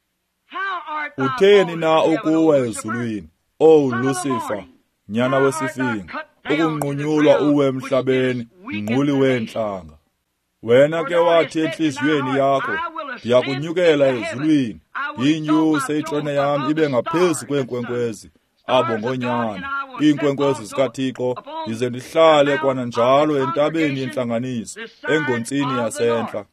Utheni na ukuwa ezulwini, O Lucifer, nyana wesifingo, ukunqunyulwa uwe emhlabeni, mnquli weentlanga? Wena ke wathi entliziyweni yakho, ndiyakunyukela ezulwini, ndiyinyuse itrone yam ibe ngaphezu kweenkwenkwezi, abo ngonyana, iinkwenkwezi zikaThixo, ndize ndihlale kwananjalo entabeni yentlanganiso, engontsini yasentla.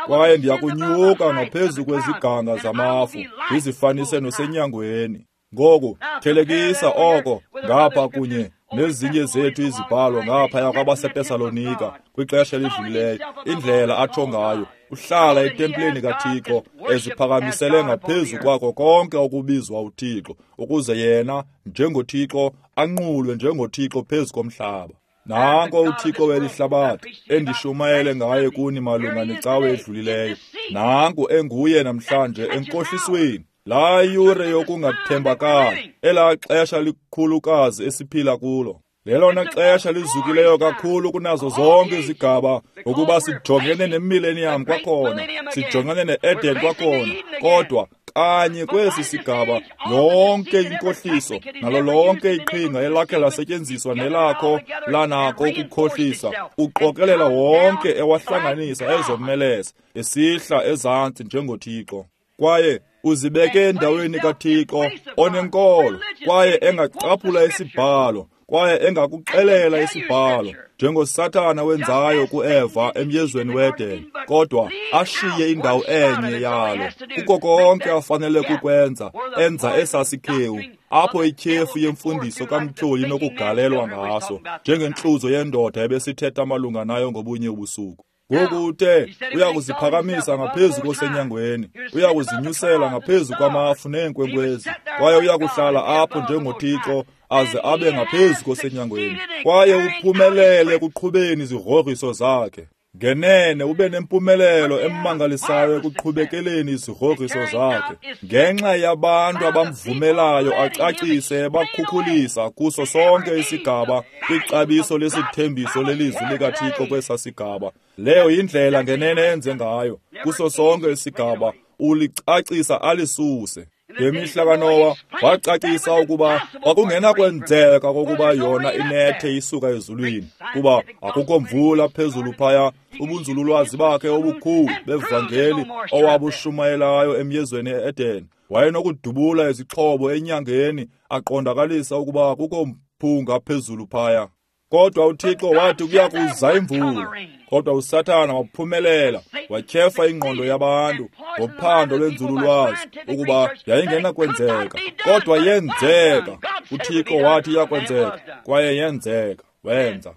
Kwaye ndiyakunyuka ngaphezu kweziganga zamafu, ndizifanise nosenyangweni. Ngoku thelekisa oko ngapha kunye nezinye zethu izibhalo ngaphaya kwabaseTesalonika kwixesha elidlulileyo, indlela atsho ngayo uhlala etempileni kaThixo eziphakamisele ngaphezu kwako konke okubizwa uThixo, ukuze yena njengoThixo anqulwe njengoThixo phezu komhlaba. Nanko uThixo weli hlabathi endishumayele ngaye kuni malunga necawe edlulileyo. Nanku enguye namhlanje enkohlisweni. Laa yure yokungathembakali, elaa xesha likhulukazi esiphila kulo, lelona xesha lizukileyo kakhulu kunazo zonke izigaba, ngokuba sijongene nemillennium kwakhona, sijongene ne-Eden kwakhona, kodwa kanye kwesi sigaba yonke inkohliso nalo lonke iqhinga elakhe lasetyenziswa nelakho lanako ukukhohlisa, uqokelela wonke ewahlanganisa ezomeleza esihla ezantsi njengoThixo. Kwaye uzibeke endaweni kaThixo onenkolo, kwaye engacaphula isibhalo, kwaye engakuxelela isibhalo, njengoSathana wenzayo kuEva emyezweni weEden, kodwa ashiye indawo enye yalo. Kuko konke afanele kukwenza, enza esasikhewu, apho ityhefu yemfundiso kamtyholi inokugalelwa ngaso, njengentluzo yendoda ebesithetha malunga nayo ngobunye ubusuku. Ngoku uthe uyakuziphakamisa ngaphezu kosenyangweni, uyakuzinyusela ngaphezu kwamafu neenkwenkwezi, kwaye uyakuhlala apho njengoThixo aze abe ngaphezu kosenyangweni. Kwaye uphumelele ekuqhubeni izigrogriso zakhe. Ngenene ube nempumelelo emangalisayo ekuqhubekeleni izigrogriso zakhe, ngenxa yabantu abamvumelayo acacise bakhukhulisa kuso sonke isigaba kwixabiso lesithembiso lelizwi likaThixo kwesa sigaba. Leyo yindlela ngenene enze ngayo kuso sonke isigaba, ulicacisa alisuse. Ngemihla kaNowa wacacisa ukuba kwakungenakwenzeka kokuba yona inethe isuka ezulwini, kuba akukho mvula phezulu phaya. Ubunzululwazi bakhe obukhulu bevangeli owabushumayelayo emyezweni e-Eden, wayenokudubula izixhobo enyangeni aqondakalisa ukuba akukho mphunga phezulu phaya. Kodwa uThixo wathi kuyakuza imvula. Kodwa uSathana waphumelela, watyhefa ingqondo yabantu ngophando lwenzululwazi ukuba yayingenakwenzeka. Kodwa yenzeka. UThixo wathi iyakwenzeka, kwaye yenzeka. Wenza.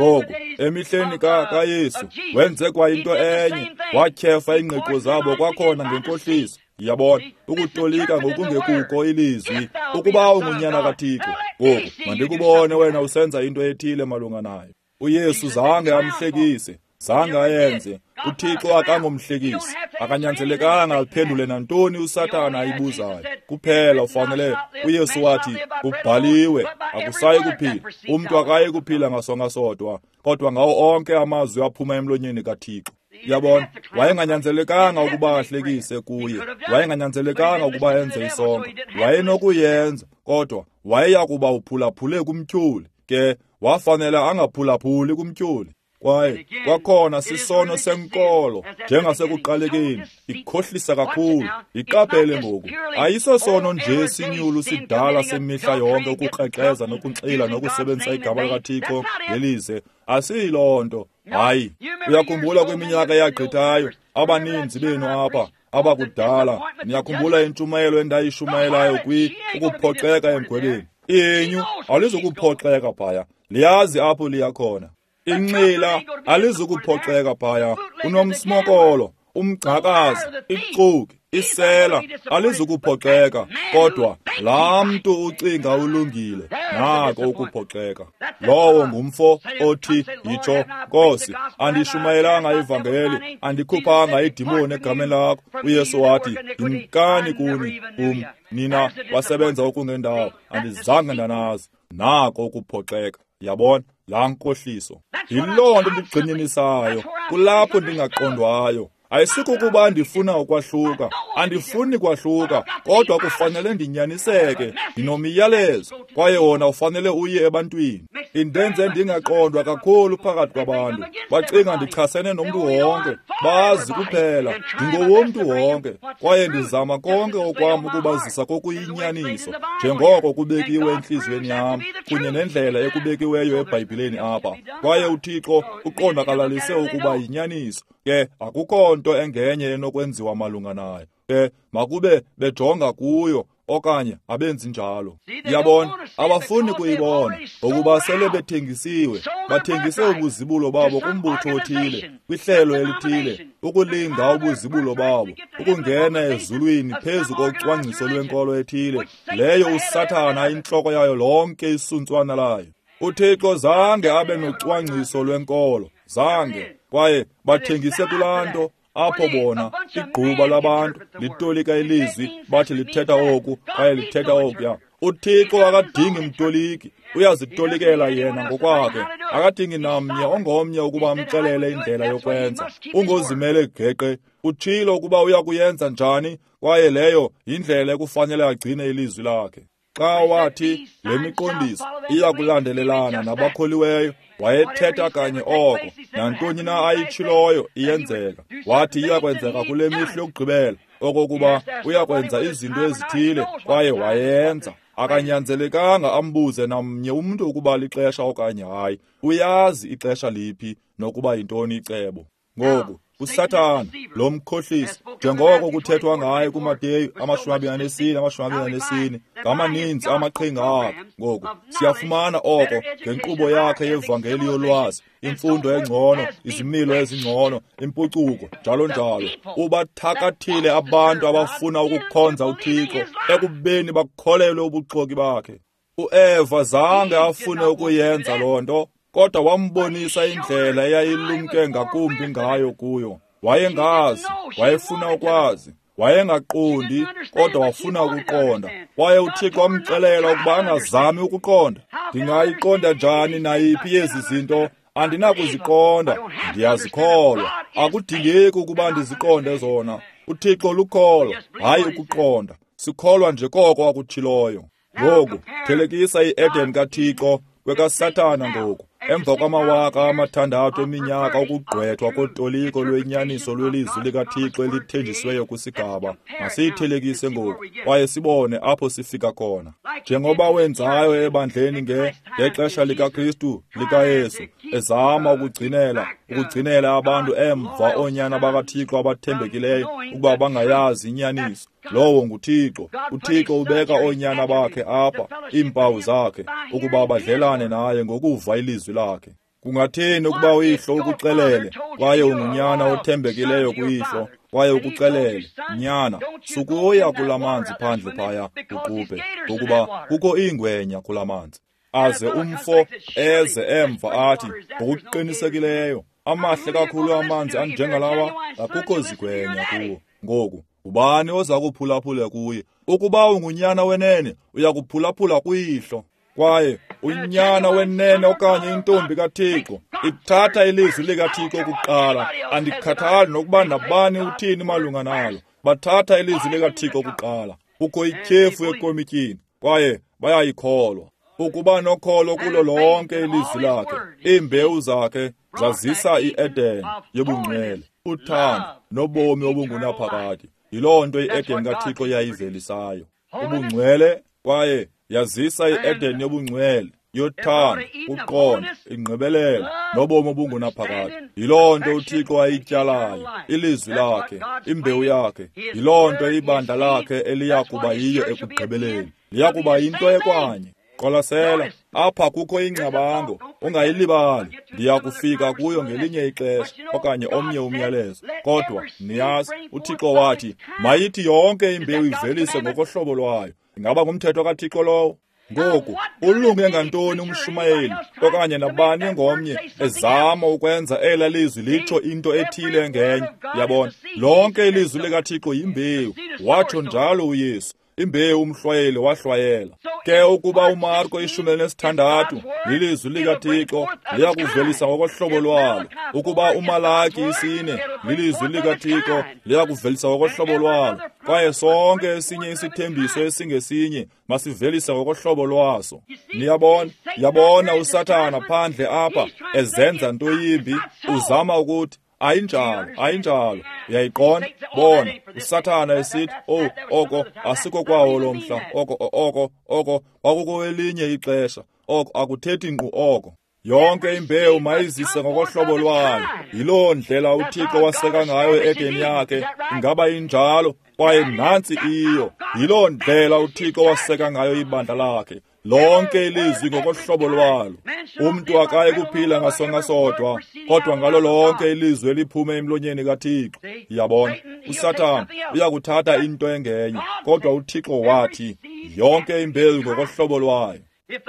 Ngoku, emihleni kaYesu, wenze kwa into enye, watyhefa iingqiqo zabo kwakhona ngenkohliso. Yabona, ukutolika ngokungekuko ilizwi, ukuba ungunyana kaThixo. Ngoku, mandikubone wena usenza into ethile malunga nayo. UYesu zange amhlekise, zange ayenze. UThixo akangomhlekisi, akanyanzelekanga aphendule nantoni uSathana ayibuzayo. Kuphela ufanele. UYesu wathi, kubhaliwe, akusayi kuphila. Umntu akayi kuphila ngasonka sodwa, kodwa ngawo onke amazwi aphuma emlonyeni kaThixo. Yabona, wayenganyanzelekanga ukuba ahlekise kuye, wayenganyanzelekanga ukuba enze isonka, wayenokuyenza, kodwa wayeya kuba uphulaphule kumtyholi. Ke wafanele angaphulaphuli kumtyholi. Kwaye kwakhona sisono senkolo njengasekuqalekeni, ikhohlisa kakhulu. Iqaphele ngoku, ayisosono nje sinyulu sidala semihla yonke ukukrexeza nokunxila nokusebenzisa igama likaThixo ngelize. Asiyiloo nto. Hayi, uyakhumbula kwiminyaka eyagqithayo, abaninzi benu apha abakudala, niyakhumbula intshumayelo endayishumayelayo kwi ukuphoxeka emgwebeni. Inyu alizukuphoxeka phaya, liyazi apho liya khona. Inxila alizukuphoxeka phaya, unomsmokolo, umgcakazi, ixoki, isela alizukuphoxeka, kodwa laa mntu ucinga ulungile, nako ukuphoxeka. Lowo ngumfo othi, yitsho, Nkosi, andishumayelanga ivangeli, andikhuphanga idimoni egameni lakho. UYesu wathi, yimkani kuni, kum, nina wasebenza okungendawo, andizange ndanazi. Nako ukuphoxeka. Yabona, laa nkohliso. Yiloo nto ndigxininisayo, kulapho ndingaqondwayo. Ayisikukuba ndifuna ukwahluka, andifuni kwahluka, kodwa kufanele ndinyaniseke, ndinomyalezo, kwaye wona ufanele uye ebantwini. Indenze ndingaqondwa kakhulu phakathi kwabantu, bacinga ndichasene nomntu wonke, bazi kuphela ndingowomntu wonke, kwaye ndizama konke okwam ukubazisa kokuyinyaniso, njengoko kubekiwe entliziyweni yam, kunye nendlela ekubekiweyo eBhayibhileni apha. Kwaye uThixo uqondakalalise ukuba yinyaniso. Ke akukho nto engenye enokwenziwa malunga nayo. Ke makube bejonga kuyo okanye abenzi njalo. Yabona, abafuni kuyibona ngokuba sele bethengisiwe, bathengise ubuzibulo babo kumbutho othile, kwihlelo elithile, ukulinga ubuzibulo babo, ukungena ezulwini phezu kocwangciso lwenkolo ethile, leyo uSathana intloko yayo lonke isuntswana layo. UThixo zange abe nocwangciso lwenkolo, zange, kwaye bathengise kulaa nto. Apho bona igquba labantu litolika ilizwi, bathi lithetha oku kwaye lithetha okuya. UThixo akadingi mtoliki, uyazitolikela yena ngokwakhe. Akadingi namnye ongomnye ukuba amxelele indlela yokwenza. Ungozimele geqe, utshilo ukuba uyakuyenza njani, kwaye leyo yindlela ekufanele agcine ilizwi lakhe. Xa wathi le miqondiso iyakulandelelana nabakholiweyo, wayethetha kanye oko. Nantoni na ayitshiloyo iyenzeka. Wathi iyakwenzeka kule mihla yokugqibela, okokuba uyakwenza izinto ezithile, kwaye wayenza. Akanyanzelekanga ambuze namnye umntu ukuba lixesha okanye hayi. Uyazi ixesha liphi nokuba yintoni icebo. Ngoku uSathana lo mkhohlisi, njengoko kuthethwa ngaye kuMateyu amashumi abini anesine amashumi abini anesine, ngamaninzi amaqhinga akhe. Ngoku siyafumana oko ngenkqubo yakhe yevangeli yolwazi, imfundo engcono, izimilo ezingcono, impucuko, njalo njalo. Ubathakathile abantu abafuna ukukhonza uThixo ekubeni bakholelwe ubuxoki bakhe. UEva zange afune ukuyenza loo nto, kodwa wambonisa indlela eyayilumke ngakumbi ngayo kuyo. Wayengazi, wayefuna ukwazi, wayengaqondi, kodwa wafuna ukuqonda. Kwaye uThixo wamxelela ukuba angazami ukuqonda. Ndingayiqonda njani nayiphi yezi zinto? Andinakuziqonda, ndiyazikholwa. Akudingeki ukuba ndiziqonde zona. UThixo lukholo, hayi ukuqonda. Sikholwa nje koko akutshiloyo. Ngoku thelekisa iEden kaThixo kwekaSathana ngoku. Emva kwamawaka amathandathu eminyaka ukugqwethwa kotoliko lwenyaniso lwelizwi likaThixo elithenjisiweyo kwisigaba, masiyithelekise ngoku kwaye sibone apho sifika khona. Njengoba wenzayo ebandleni nge ngexesha likaKristu likaYesu, ezama ukugcinela ukugcinela abantu emva oonyana bakaThixo abathembekileyo ukuba bangayazi inyaniso. Lowo nguThixo. UThixo ubeka oonyana bakhe apha, iimpawu zakhe, ukuba badlelane naye ngokuva ilizwi lakhe. Kungathini ukuba uyihlo ukuxelele, kwaye ungunyana othembekileyo kuyihlo, kwaye ukuxelele, nyana, sukuya kula manzi phandle phaya uqubhe, ngokuba kukho iingwenya kula manzi. Aze umfo eze emva athi, ngokuqinisekileyo, amahle kakhulu amanzi anjengalawa, akukho zigwenya kuwo. Ngoku ubani oza kuphulaphula kuye? Ukuba ungunyana wenene, uya kuphulaphula kuyihlo. Kwaye unyana wenene okanye intombi kaThixo ithatha ilizwi likaThixo kuqala. Andikhathali nokuba nabani uthini malunga nalo. Bathatha ilizwi likaThixo kuqala. Kukho ityhefu ekomityini kwaye bayayikholwa. Ukuba nokholo kulo lonke ilizwi lakhe, iimbewu zakhe zazisa iEden yobungcwele, uthando nobomi obungunaphakade. Yiloo nto iEden kaThixo yayivelisayo, ubungcwele, kwaye yazisa iEden yobungcwele, yothando, uqondo, ingqibelelo nobomi obungunaphakade. Yiloo nto uThixo ayityalayo, ilizwi lakhe, imbewu yakhe. Yiloo nto ibandla lakhe eliya kuba yiyo ekugqibeleni. Liya kuba yinto ekwanye. Qwalasela, apha kukho ingcabango, ungayilibali. Ndiya kufika kuyo ngelinye ixesha okanye omnye umyalezo. Kodwa niyazi, uThixo wathi, mayithi yonke imbewu ivelise ngokohlobo lwayo. Ingaba ngumthetho kaThixo lowo? Ngoku, ulunge ngantoni umshumayeli okanye nabani ngomnye ezama ukwenza ela lizwi litsho into ethile ngenye? Yabona, lonke ilizwi likaThixo yimbewu. Watsho njalo uYesu. Imbewu umhlwayeli wahlwayela. Ke ukuba uMarko ishumi elinesithandathu lilizwi likaThixo, liya kuvelisa ngokohlobo lwalo. Ukuba uMalaki isine lilizwi likaThixo, liya kuvelisa ngokohlobo lwalo. Kwaye sonke esinye isithembiso esingesinye masivelise ngokohlobo lwaso. Niyabona, yabona uSathana phandle apha ezenza nto yimbi, uzama ukuthi ayinjalo, ayinjalo. Uyayiqonda? Bona, uSathana esithi, oh, oko asiko kwawo lo mhla, oko oko oko kwakukwelinye ixesha, oko akuthethi nkqu oko. Yonke imbewu mayizise ngokohlobo lwayo. Yiloo ndlela uThixo waseka ngayo e-Edeni yakhe. Ingaba injalo? Kwaye nantsi iyo. Yiloo ndlela uThixo waseka ngayo ibandla lakhe. Lonke ilizwi ngokohlobo lwalo. Umntu akayi kuphila ngasonka sodwa, kodwa ngalo lonke ilizwi eliphume emlonyeni kaThixo. Yabona, uSathana uyakuthatha into engenye, kodwa uThixo wathi yonke imbewu ngokohlobo lwayo.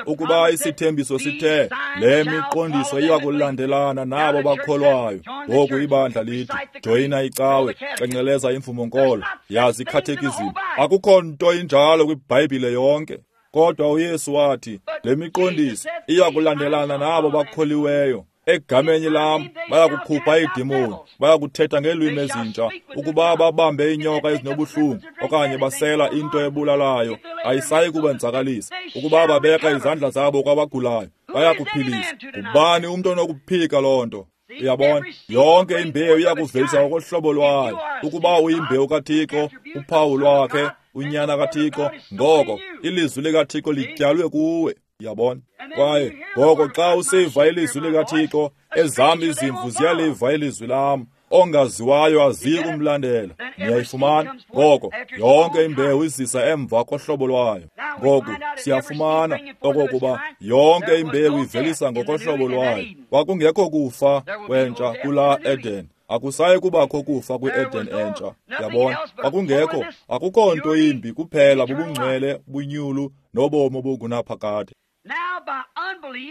Ukuba isithembiso sithe le miqondiso iya kulandelana nabo bakholwayo, ngoku ibandla lithi joyina icawe, cenceleza imvumo-nkolo, yazi ikhathekizim. Akukho nto injalo kwiBhayibhile yonke. Kodwa uYesu wathi le miqondiso iya kulandelana nabo bakholiweyo. Egameni lam bayakukhupha iidemoni, bayakuthetha ngeelwimi ezintsha. Ukuba babambe iinyoka ezinobuhlungu okanye basela into ebulalayo, ayisayi kubenzakalisa. Ukuba babeka izandla zabo kwabagulayo, bayakuphilisa. Ngubani umntu onokuphika loo nto? Uyabona, yonke imbewu iyakuvelisa ngokohlobo lwayo. Ukuba uyimbewu kaThixo, uphawu lwakhe, unyana kaThixo, ngoko ilizwi likaThixo lityalwe kuwe. Yabona? Kwaye ngoko xa usiva ilizwi likaThixo, ezam izimvu ziyaliva ilizwi lam, ongaziwayo aziyi kumlandela. Niyayifumana? Ngoko yonke imbewu izisa emva kohlobo lwayo. Ngoku siyafumana okokuba yonke imbewu ivelisa ngokohlobo lwayo. Kwakungekho kufa kwentsha kulaa Eden. Akusayi kubakho kufa kwi-Eden entsha. Yabona, kwakungekho, akukho nto yimbi kuphela bubungcwele, bunyulu nobomi obungunaphakade.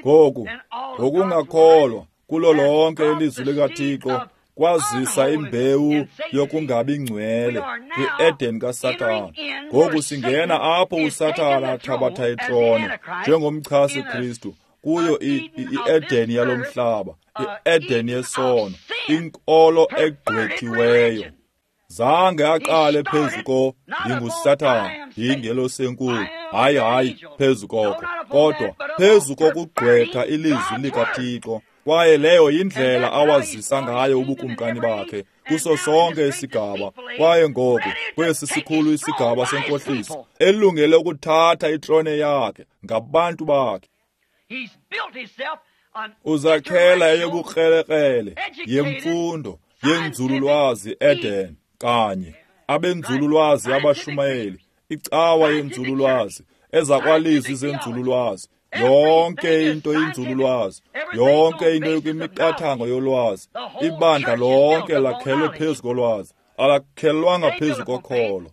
Ngoku, ngokungakholwa kulo lonke ilizwi likaThixo kwazisa imbewu yokungabi ngcwele kwi-Eden kaSathana. Ngoku singena apho uSathana athabatha itrone njengomchasi Kristu kuyo i-Eden yalo mhlaba, i-Eden yesono, inkolo egqwethiweyo. Zange aqale phezu ko ndinguSathana, yingelosi enkulu. Hayi, hayi, phezu koko, kodwa phezu kokugqwetha ilizwi likaThixo. Kwaye leyo yindlela awazisa ngayo ubukumkani bakhe kuso sonke isigaba. Kwaye ngoku kwesi sikhulu isigaba senkohliso, elungele ukuthatha itrone yakhe ngabantu bakhe. Uzakhela eyobukrelekrele yemfundo yenzululwazi Eden kanye abenzululwazi abashumayeli, icawa yenzululwazi, ezakwalizwi zenzululwazi, yonke into inzululwazi, yonke into kwimiqathango yolwazi. Ibandla lonke lakhelwe phezu kolwazi, alakhelwanga phezu kokholo.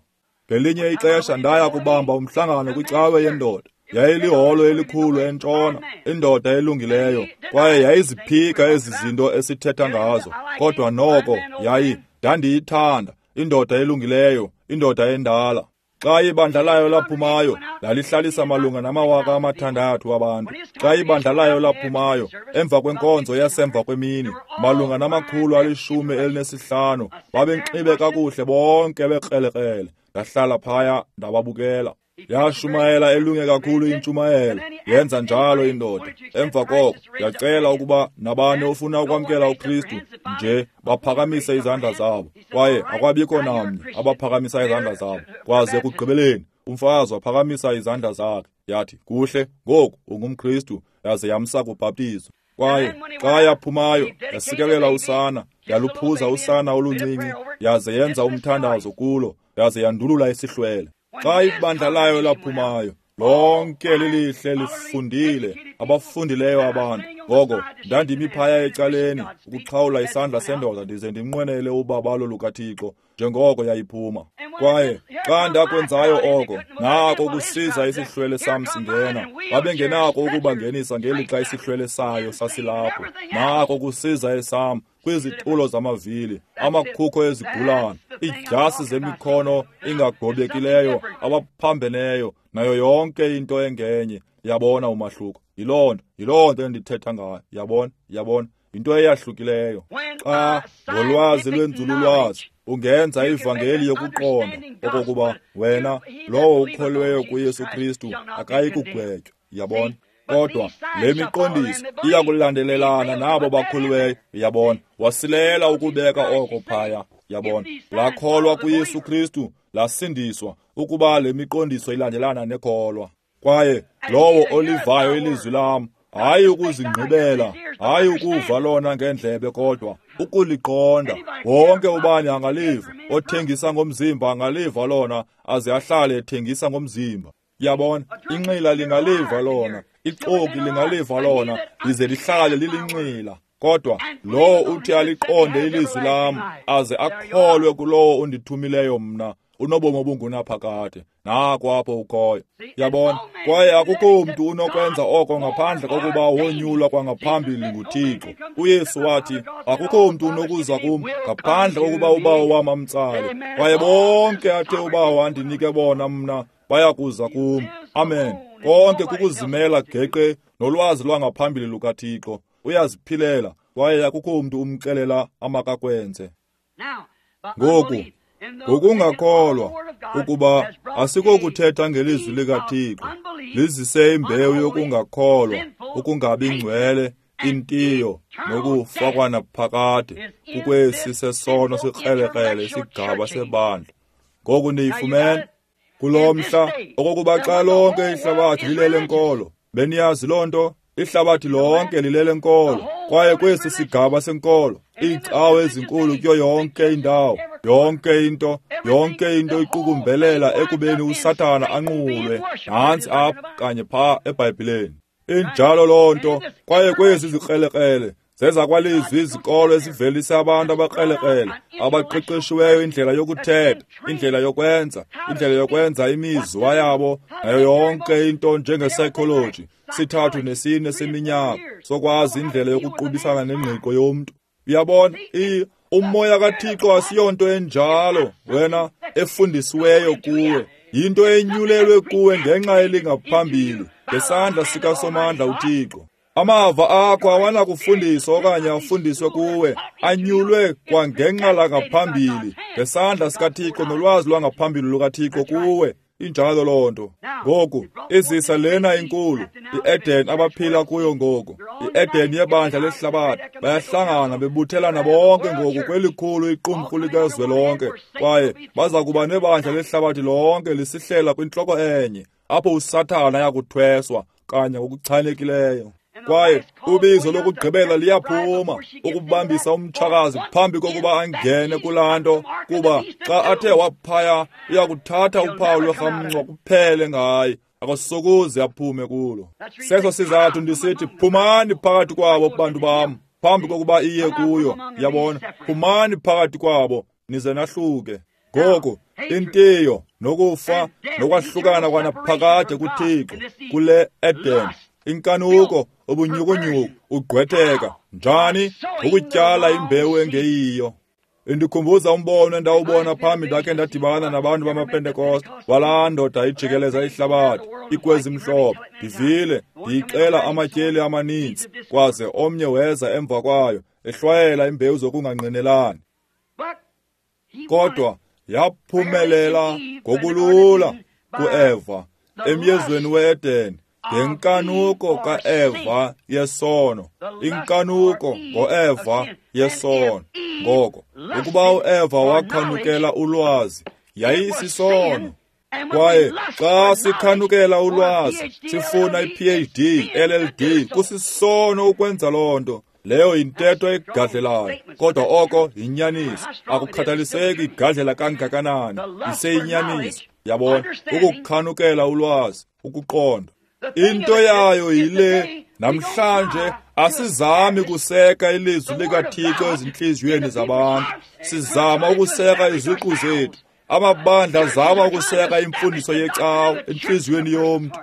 Ngelinye ixesha ndaya kubamba umhlangano kwicawe yendoda. Yayiliholo elikhulu entshona, indoda elungileyo, kwaye yayiziphika ezi zinto esithetha ngazo. Kodwa noko yayi ndandiyithanda, indoda elungileyo, indoda endala. Xa ibandla layo laphumayo, lalihlalisa malunga namawaka amathandathu abantu. Xa ibandla layo laphumayo, emva kwenkonzo yasemva kwemini, malunga namakhulu alishumi elinesihlanu, babenxibe kakuhle bonke bekrelekrele. Ndahlala phaya ndababukela. Yashumayela elunge kakhulu intshumayelo, yenza njalo indoda. Emva koko yacela ukuba nabani ofuna ukwamkela uKristu nje baphakamise izandla zabo. Kwaye akwabikho namnye abaphakamisa izandla zabo. Kwaze ekugqibeleni umfazi waphakamisa izandla zakhe, yathi, kuhle, ngoku ungumKristu, yaze yamsa kubhaptizo. Kwaye xa yaphumayo yasikelela usana, yaluphuza usana oluncinci, yaze yenza umthandazo kulo, yaze yandulula isihlwele. Xa ibandla layo laphumayo, lonke lilihle lifundile, abafundileyo abantu. Ngoko ndandimi phaya ecaleni ukuxhawula isandla sendoda ndize ndimnqwenele ubabalo lukaThixo njengoko yayiphuma. Kwaye xa ndakwenzayo oko, nako ukusiza isihlwele sam singena. Babengenako ukubangenisa ngelixa isihlwele sayo sasilapho. Nako ukusiza esam kwizitulo zamavili, amakhukho ezigulana, iidyasi zemikhono ingagobekileyo, abaphambeneyo, nayo yonke into engenye. Yabona umahluko? Yiloo nto, yiloo nto endithetha ngayo. Yabona, yabona, into eyahlukileyo. Xa ngolwazi lwenzululwazi ungenza ivangeli yokuqonda okokuba wena lowo ukholweyo kuYesu Kristu akayi kugwetywa. Yabona? Kodwa le miqondiso iya kulandelelana nabo bakhulweyo. Yabona? Wasilela ukubeka oko phaya. Yabona? Lakholwa kuYesu Kristu, lasindiswa ukuba le miqondiso ilandelana nekholwa. Kwaye lowo olivayo ilizwi lam, hayi ukuzingqibela, hayi ukuva lona ngendlebe, kodwa ukuliqonda. Wonke ubani angaliva, othengisa ngomzimba angaliva lona, aze ahlale ethengisa ngomzimba. Yabona? Inxila lingaliva lona, ixoki lingaliva lona, lize lihlale lilinxila. Kodwa lowo uthi aliqonde ilizwi lam, aze akholwe kulowo undithumileyo mna, unobomi obungunaphakade. Nako apho ukhoyo. Yabona? Kwaye akukho mntu unokwenza oko ngaphandle kokuba wonyulwa kwangaphambili nguThixo. UYesu wathi, akukho mntu unokuza kum ngaphandle kokuba uBawo wam amtsale. Kwaye bonke athe uBawo andinike bona mna bayakuza kum. Amen. Konke kukuzimela geqe nolwazi lwangaphambili lukaThixo. Uyaziphilela, kwaye akukho mntu umxelela amakakwenze. Ngoku, ngokungakholwa ukuba asikokuthetha ngelizwi likaThixo, lizise imbewu yokungakholwa, ukungabi ngcwele, intiyo nokufa kwanaphakade kukwesi sesono sikrelekrele isigaba sebandla. Ngoku niyifumene kulo mhla okokuba xa lonke ihlabathi lilele nkolo. Beniyazi loo nto? Ihlabathi lonke lilele nkolo. Kwaye kwesi sigaba senkolo, iicawe ezinkulu kuyo yonke indawo, yonke into, yonke into iqukumbelela ekubeni uSathana anqulwe. Nantsi apha kanye phaa eBhayibhileni. Injalo loo nto. Kwaye kwezi zikrelekrele zeza kwalizwi izikolo ezivelise abantu abakrelekrele, abaqeqeshiweyo indlela yokuthetha, indlela yokwenza, indlela yokwenza imizwa yabo, nayo yonke into njenge-psychology, sithathu nesine seminyaka, sokwazi indlela yokuqubisana nengqiqo yomntu. Uyabona, umoya kaThixo asiyonto enjalo wena efundisiweyo kuwe. Yinto enyulelwe kuwe ngenxa elingaphambili, ngesandla sikaSomandla uThixo. Amava akho awanakufundiswa okanye afundiswe kuwe, anyulwe kwangenxa langaphambili ngesandla sikaThixo nolwazi lwangaphambili lukaThixo kuwe. Injalo loo nto. Ngoku izisa lena inkulu, iEden abaphila kuyo ngoku, iEden yebandla lehlabathi. Bayahlangana bebuthelana bonke ngoku kwelikhulu iqumrhu likazwelonke, kwaye baza kuba nebandla lehlabathi lonke lisihlela kwintloko enye, apho uSathana ayakuthweswa kanye ngokuchanekileyo. Kwaye ubizo lokugqibela liyaphuma ukubambisa umtshakazi phambi kokuba angene kulaa nto, kuba xa athe waphaya uyakuthatha uphawu lwerhamncwa kuphele ngaye, akasokuze aphume kulo. Seso sizathu ndisithi phumani phakathi kwabo bantu bam, phambi kokuba iye kuyo. Yabona, phumani phakathi kwabo nize nahluke. Ngoku intiyo nokufa nokwahlukana kwanaphakade kuThixo kule Eden, inkanuko, ubunyukunyuku, ugqwetheka njani ukutyala imbewu engeyiyo. Indikhumbuza umbono endawubona phambi ndakhe ndadibana nabantu bamaPentekoste, walaa ndoda ijikeleza ihlabathi ikwezi mhlophe. Ndivile ndiyixela amatyeli amaninzi, kwaze omnye weza emva kwayo ehlwayela imbewu zokungangqinelani. Kodwa yaphumelela ngokulula kuEva emyezweni we-Eden, ngenkanuko kaEva yesono, inkanuko ngoEva yesono. Ngoko ukuba uEva wakhanukela ulwazi, yayisisono. Kwaye xa sikhanukela ulwazi, sifuna i-P H D, L L D, kusisono ukwenza loo nto. Leyo yintetho egadlelayo, kodwa oko yinyaniso. Akukhathaliseki igadlela kangakanani, iseyinyaniso. Yabona, ukukhanukela ulwazi, ukuqonda. Into yayo yile, namhlanje asizami kuseka ilizwi likaThixo ezintliziyweni zabantu. Sizama ukuseka iziqu zethu. Amabandla azama ukuseka imfundiso yecawa entliziyweni yomntu.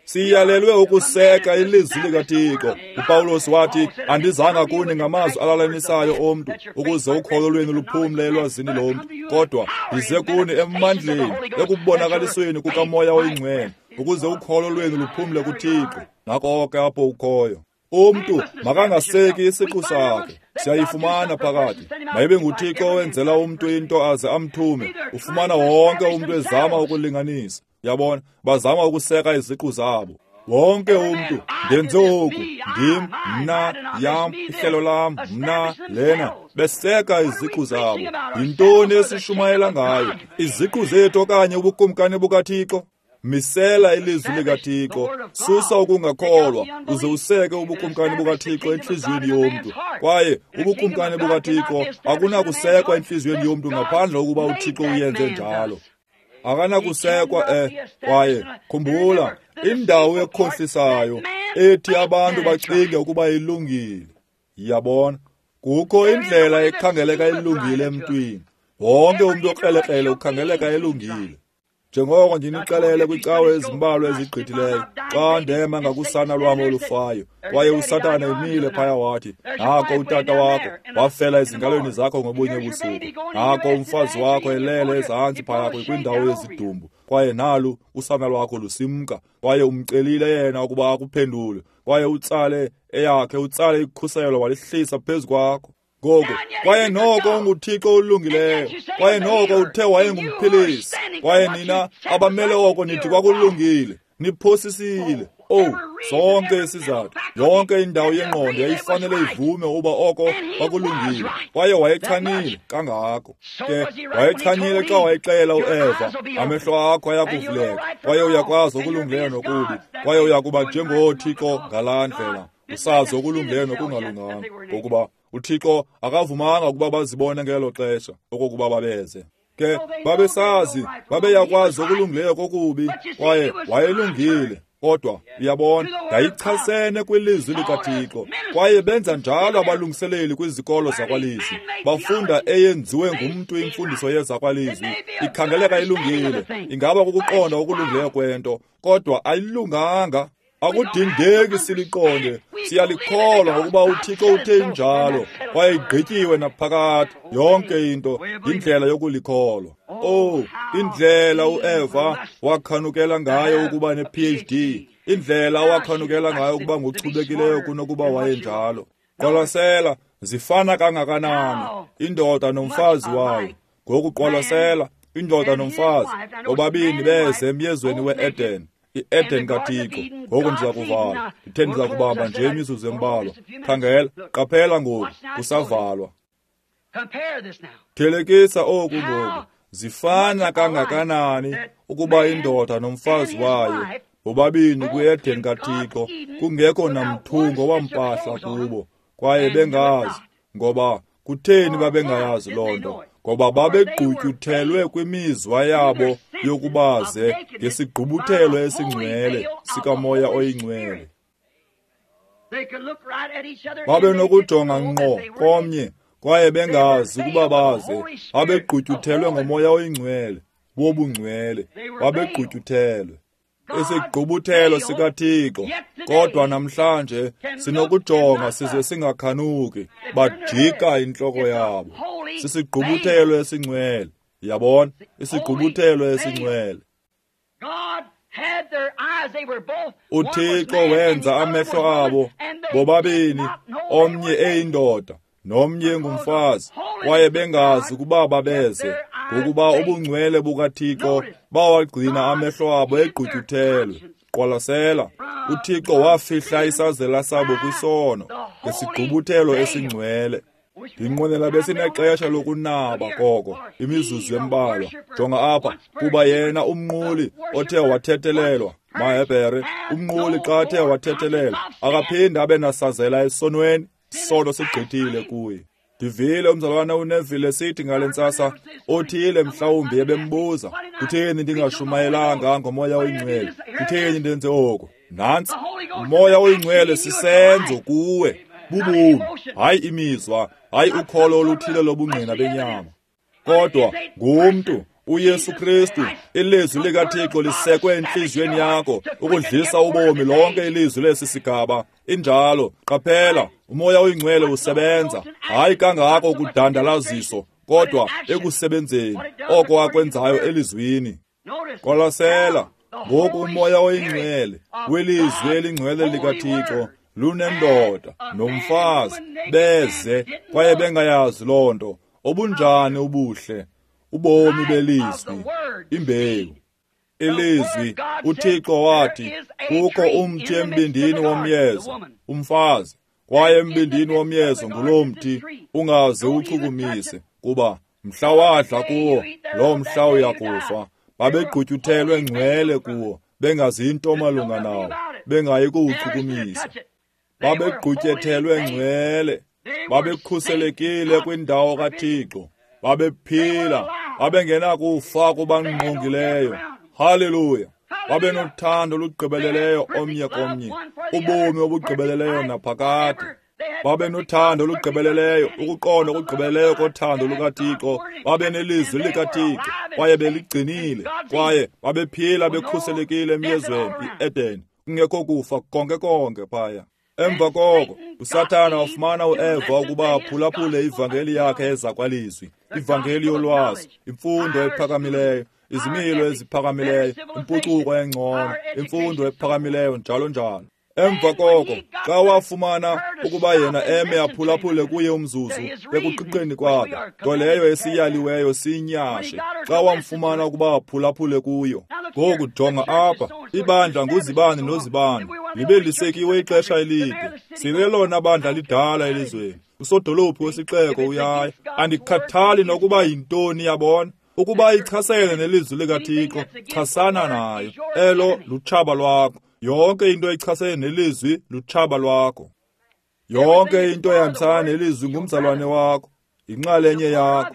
Siyalelwe ukuseka ilizwi likaThixo. UPawulos wathi, andizanga kuni ngamazwi alalanisayo omntu, ukuze ukholo lwenu luphumle elwazini lomntu, kodwa ndize kuni emandleni, ekubonakalisweni kukaMoya oyiNgcwele, ukuze ukholo lwenu luphumle kuThixo. Nako ke apho ukhoyo. Umntu makangaseki isiqu sakhe. Siyayifumana phakathi. Mayibe nguThixo owenzela umntu into aze amthume. Ufumana wonke umntu ezama ukulinganisa. Yabona, bazama ukuseka iziqu zabo. Wonke umntu, ndenze oku, ndim, mna, yam, ihlelo lam, mna, lena, beseka iziqu zabo. Yintoni esishumayela ngayo? Iziqu zethu okanye ubukumkani bukaThixo? Misela ilizwi likaThixo, susa ukungakholwa, uze useke ubukumkani bukaThixo entliziyweni yomntu. Kwaye ubukumkani bukaThixo akunakusekwa entliziyweni yomntu ngaphandle kokuba uThixo uyenze njalo. Akanakusekwa eh kwaye khumbula, indawo ekhohlisayo ethi abantu bacinge ukuba ilungile. Yabona, kukho indlela ekhangeleka ilungile emntwini. Wonke umntu okrelekrele ukhangeleka elungile. Njengoko ndinixelele kwicawe ezimbalwa ezigqithileyo, xa ndema ngakusana lwam olufayo, kwaye uSathana emile phaya wathi, nako utata wakho wafela ezingalweni zakho ngobunye ubusuku, nako umfazi wakho elele ezantsi phaya kwindawo yezidumbu, kwaye nalu usana lwakho lusimka, kwaye umcelile yena ukuba akuphendule, kwaye utsale eyakhe, utsale ikhuselo walihlisa phezu kwakho. Ngoku, kwaye noko unguThixo olungileyo, kwaye noko uthe wayengumphilisi, kwaye nina abamele oko nithi kwakulungile, niphosisile. Oh, sonke isizathu, yonke indawo yengqondo yayifanele ivume uba oko kwakulungile, kwaye wayechanile kangako. Ke wayechanile xa wayexela uEva, amehlo akho ayakuvuleka, kwaye uyakwazi okulungileyo nokubi, kwaye uyakuba njengoThixo ngalaa ndlela, usazi okulungileyo nokungalunganga, ngokuba uThixo akavumanga ukuba bazibone ngelo xesha okokuba babeze. Ke babesazi, babeyakwazi okulungileyo kokubi, kwaye wayelungile. Kodwa uyabona, yayichasene kwilizwi likaThixo. Kwaye benza njalo abalungiseleli kwizikolo zakwalizwi. Bafunda eyenziwe ngumntu imfundiso yezakwalizwi, ikhangeleka ilungile, ingaba kukuqonda okulungileyo kwento, kodwa ayilunganga. Akudingeki siliqonde, siyalikholwa ngokuba uThixo uthe njalo, kwaye igqityiwe naphakade yonke into, indlela yokulikholwa. Oh, indlela uEva wakhanukela ngayo ukuba ne-P H D, indlela awakhanukela ngayo ukuba ngochubekileyo kunokuba wayenjalo. Qwalasela, zifana kangakanani indoda nomfazi wayo. Ngoku qwalasela, indoda nomfazi bobabini beze emyezweni we-Eden, i-Eden kaThixo. Ngoku ndiza kuvala, ndithe ndiza kubamba nje imizuzu embalwa. Khangela, qaphela ngoku, kusavalwa. Thelekisa oku ngoku, zifana kangakanani ukuba indoda nomfazi wayo bobabini kwi-Eden kaThixo, kungekho namthungo wampahla kubo, kwaye bengazi. Ngoba kutheni babengayazi loo nto? Ngoba babegqutyuthelwe kwimizwa yabo yokubaze ngesigqubuthelo esingcwele sikaMoya oyiNgcwele. Babenokujonga ngqo komnye kwaye bengazi ukuba baze. Babegqutyuthelwe ngoMoya oyiNgcwele wobungcwele, babegqutyuthelwe isigqubuthelo sikaThixo. Kodwa namhlanje sinokujonga size singakhanuki, bajika intloko yabo. Sisigqubuthelo esingcwele, yabona, isigqubuthelo esingcwele. UThixo wenza amehlo abo bobabini, omnye eyindoda nomnye engumfazi, kwaye bengazi ukuba babeze, ngokuba ubungcwele bukaThixo bawagcina amehlo abo egqutyuthelwe. Qwalasela, uThixo wafihla isazela sabo kwisono ngesigqubuthelo esingcwele. Ndinqwenela besinexesha lokunaba koko, imizuzu embalwa. Jonga apha, kuba yena umnquli othe wathethelelwa, maHebhere, umnquli xa athe wathethelelwa, akaphinde abe nasazela esonweni, isono sigqithile kuye. Ndivile umzalwana uNeville sithi ngale ntsasa, othile mhlawumbi ebembuza, kutheni ndingashumayelanga ngoMoya oyiNgcwele? Kutheni ndenze oku? Nantsi, uMoya oyiNgcwele sisenzo kuwe, bubomi, hayi imizwa, hayi ukholo oluthile lobungqina benyama. Kodwa ngumntu uYesu Kristu, ilizwi likaThixo lisekwe entliziyweni yakho ukudlisa ubomi lonke ilizwi lesi sigaba. Injalo, qaphela, uMoya oyiNgcwele usebenza, hayi kangako kudandalaziso, kodwa ekusebenzeni oko akwenzayo elizwini. Qwalasela, ngoku uMoya oyiNgcwele welizwi elingcwele likaThixo lunendoda nomfazi beze kwaye bengayazi loo nto. Obunjani ubuhle ubomi belizwi, imbewu, ilizwi. UThixo wathi kukho umthi embindini womyezo, umfazi, kwaye embindini womyezo ngulo mthi, ungaze uchukumise, kuba mhla wadla kuwo loo mhla uyakufa. Babegqutyuthelwe ngcwele kuwo, bengazi into malunga nawo, bengayi kuwuchukumisa. Babegqutyethelwe ngcwele, babekhuselekile kwindawo kaThixo, babephila, babengenakufa kubangqongileyo. Haleluya! Babenothando olugqibeleleyo omnye komnye, ubomi obugqibeleleyo naphakade. Babenothando olugqibeleleyo, ukuqonda okugqibeleleyo kothando lukaThixo. Babenelizwi likaThixo kwaye beligcinile, kwaye babephila bekhuselekile emyezweni iEden, kungekho kufa konke konke phaya. Emva koko uSathana wafumana uEva ukuba aphulaphule ivangeli yakhe ezakwalizwi, ivangeli yolwazi, imfundo ephakamileyo, izimilo eziphakamileyo, impucuko engcono, imfundo ephakamileyo, njalo njalo. Emva koko xa wafumana ukuba yena eme aphulaphule kuye umzuzu ekuqiqeni kwakhe, nto leyo esiyaliweyo siyinyashe, xa wamfumana ukuba aphulaphule kuyo. Ngoku jonga apha, ibandla nguzibani nozibani, libe lisekiwe ixesha elide. Silelona bandla lidala elizweni. Usodolophu wesixeko uyaya. Andikhathali nokuba yintoni, yabona. Ukuba ichasene nelizwi likaThixo, chasana nayo. Elo lutshaba lwakho. Yonke into echasene nelizwi lutshaba lwakho. Yonke into ehambisana nelizwi ngumzalwane wakho, inxalenye yakho.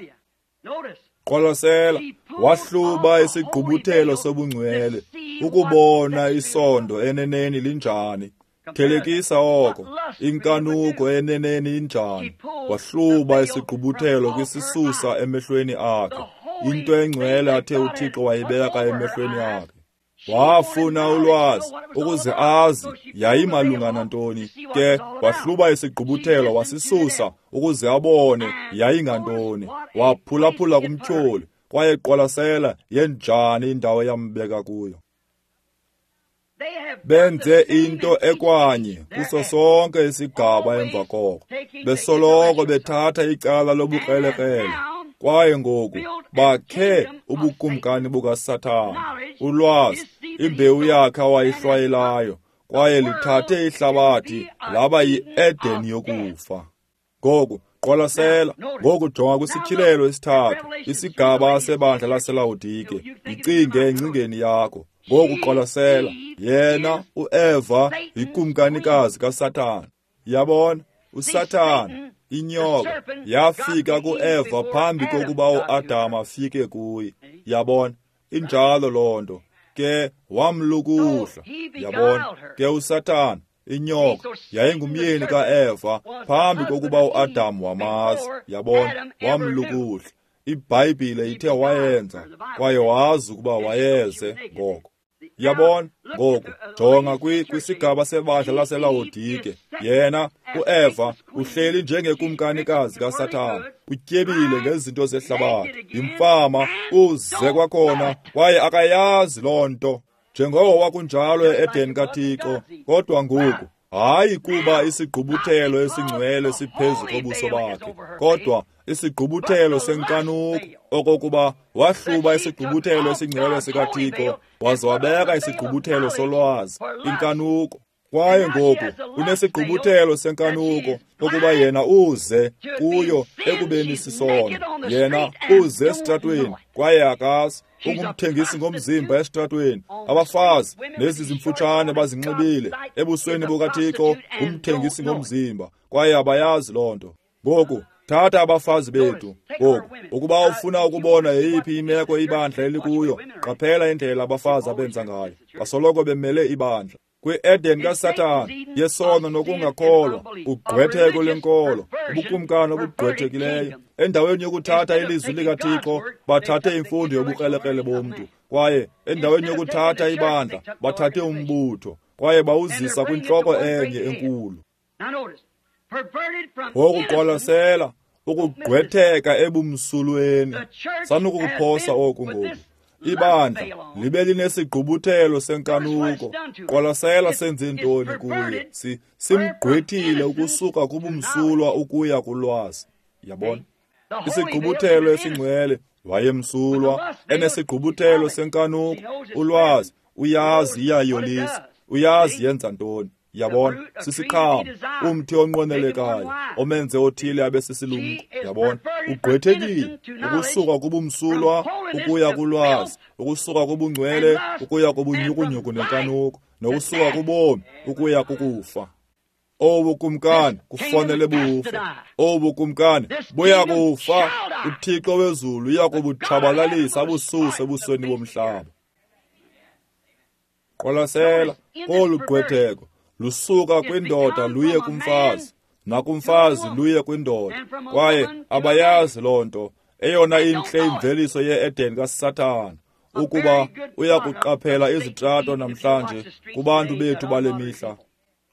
Qwalasela, wahluba isigqubuthelo sobungcwele ukubona isondo eneneni linjani. Thelekisa oko, inkanuko eneneni injani. Wahluba isigqubuthelo kwisisusa emehlweni akhe, into engcwele athe uThixo wayibeka emehlweni akhe. Wafuna ulwazi ukuze azi yayimalunga nantoni, ke wahluba isigqubuthelo wasisusa ukuze abone yayingantoni. Waphulaphula kumtyholi, kwaye qwalasela yenjani indawo yambeka kuyo. Benze into ekwanye kuso sonke isigaba emva koko, besoloko bethatha icala lobukrelekrele. Kwaye ngoku bakhe ubukumkani bukaSathana, ulwazi, imbewu yakhe awayihlwayelayo, kwaye lithathe ihlabathi laba yi-Eden yokufa. Ngoku qwalasela, ngoku jonga kwisityhilelo esithathu, isigaba sebandla laseLawodike. Yicinge engcingeni yakho. Ngoku qwalasela, yena uEva yikumkanikazi kaSathana. Yabona, uSathana, inyoka, yafika kuEva phambi kokuba uAdam afike kuye. Yabona, injalo loo nto. Ke wamlukuhla. Yabona, ke uSathana, inyoka, yayingumyeni kaEva phambi kokuba uAdam wamazi. Yabona, wamlukuhla. IBhayibhile ithe wayenza, kwaye wazi ukuba wayeze ngoko. Yabona, ngoku jonga kwisigaba sebandla laseLawodike. Yena uEva uhleli njengekumkanikazi kaSathana, utyebile ngezinto zehlabathi, yimfama, uze kwakhona, kwaye akayazi loo nto. Njengoko kwakunjalo e-Eden kaThixo, kodwa ngoku hayi kuba isigqubuthelo esingcwele siphezu kobuso bakhe, kodwa isigqubuthelo senkanuko, okokuba wahluba isigqubuthelo esingcwele sikaThixo waze wabeka isigqubuthelo solwazi, inkanuko. Kwaye ngoku unesigqubuthelo senkanuko, ukuba yena uze kuyo ekubeni sisono. Yena uze esitratweni, kwaye akazi. Ungumthengisi ngomzimba esitratweni. Abafazi nezi zimfutshane bazinxibile ebusweni bukaThixo, umthengisi ngomzimba, kwaye abayazi loo nto. Ngoku thatha abafazi bethu. Ngoku ukuba ufuna ukubona yeyiphi imeko ibandla elikuyo, qaphela indlela abafazi abenza ngayo. Basoloko bemele ibandla. Kwi-Eden kaSathana, yesono nokungakholwa, ugqwetheko lwenkolo, ubukumkani obugqwethekileyo. Endaweni yokuthatha ilizwi likaThixo, bathathe imfundo yobukrelekrele bomntu. Kwaye endaweni yokuthatha ibandla, bathathe umbutho, kwaye bawuzisa kwintloko enye enkulu. Ngokuqwalasela ukugqwetheka ebumsulweni, sanukukuphosa oku ngoku. Ibandla libe linesigqubuthelo senkanuko. Qwalasela senze ntoni kuye. Si simgqwethile ukusuka kubumsulwa ukuya kulwazi. Yabona, isigqubuthelo esingcwele, wayemsulwa, enesigqubuthelo senkanuko, ulwazi, uyazi iyayolisa, uyazi yenza ntoni. Yabona, sisiqhamo, umthi onqwenelekayo, omenze othile abe sisilumko. Yabona, ugqwethekile ukusuka kubumsulwa ukuya kulwazi, ukusuka kubungcwele ukuya kubunyhukunyhuku nenkanuko, nokusuka kubomi ukuya kukufa. Obu kumkani kufanele bufe. Obu kumkani buya kufa. UThixo wezulu uya kubutshabalalisa abususe ebusweni bomhlaba. Qwalasela kolu gqwetheko lusuka kwindoda luye kumfazi, nakumfazi luye kwindoda, kwaye abayazi loo nto. Eyona intle imveliso ye-Eden kaSathana, ukuba uyakuqaphela izitrato namhlanje kubantu bethu bale mihla.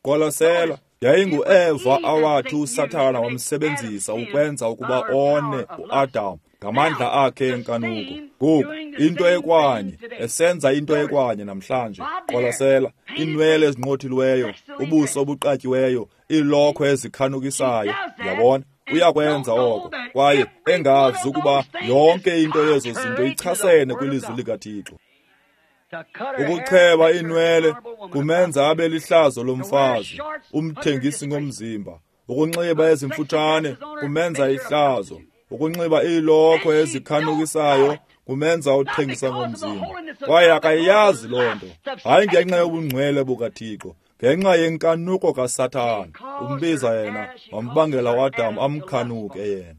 Qwalasela, yayinguEva awathi uSathana wamsebenzisa ukwenza ukuba one uAdam ngamandla akhe enkanuko. Ngoku into ekwanye, esenza into ekwanye namhlanje. Qwalasela, iinwele ezinqothiweyo, ubuso obuqatyiweyo, iilokhwe ezikhanukisayo. Yabona, uyakwenza oko, kwaye engazi ukuba yonke into yezo zinto ichasene kwilizwi likaThixo. Ukucheba iinwele kumenza abe lihlazo lomfazi, umthengisi ngomzimba. Ukunxiba ezimfutshane kumenza ihlazo. Ukunxiba iilokhwe ezikhanukisayo kumenza uthengisa ngomzimba. Kwaye akayazi loo nto, hayi ngenxa yobungcwele bukaThixo, ngenxa yenkanuko kaSathana. Umbiza yena, wambangela uAdam amkhanuke yena.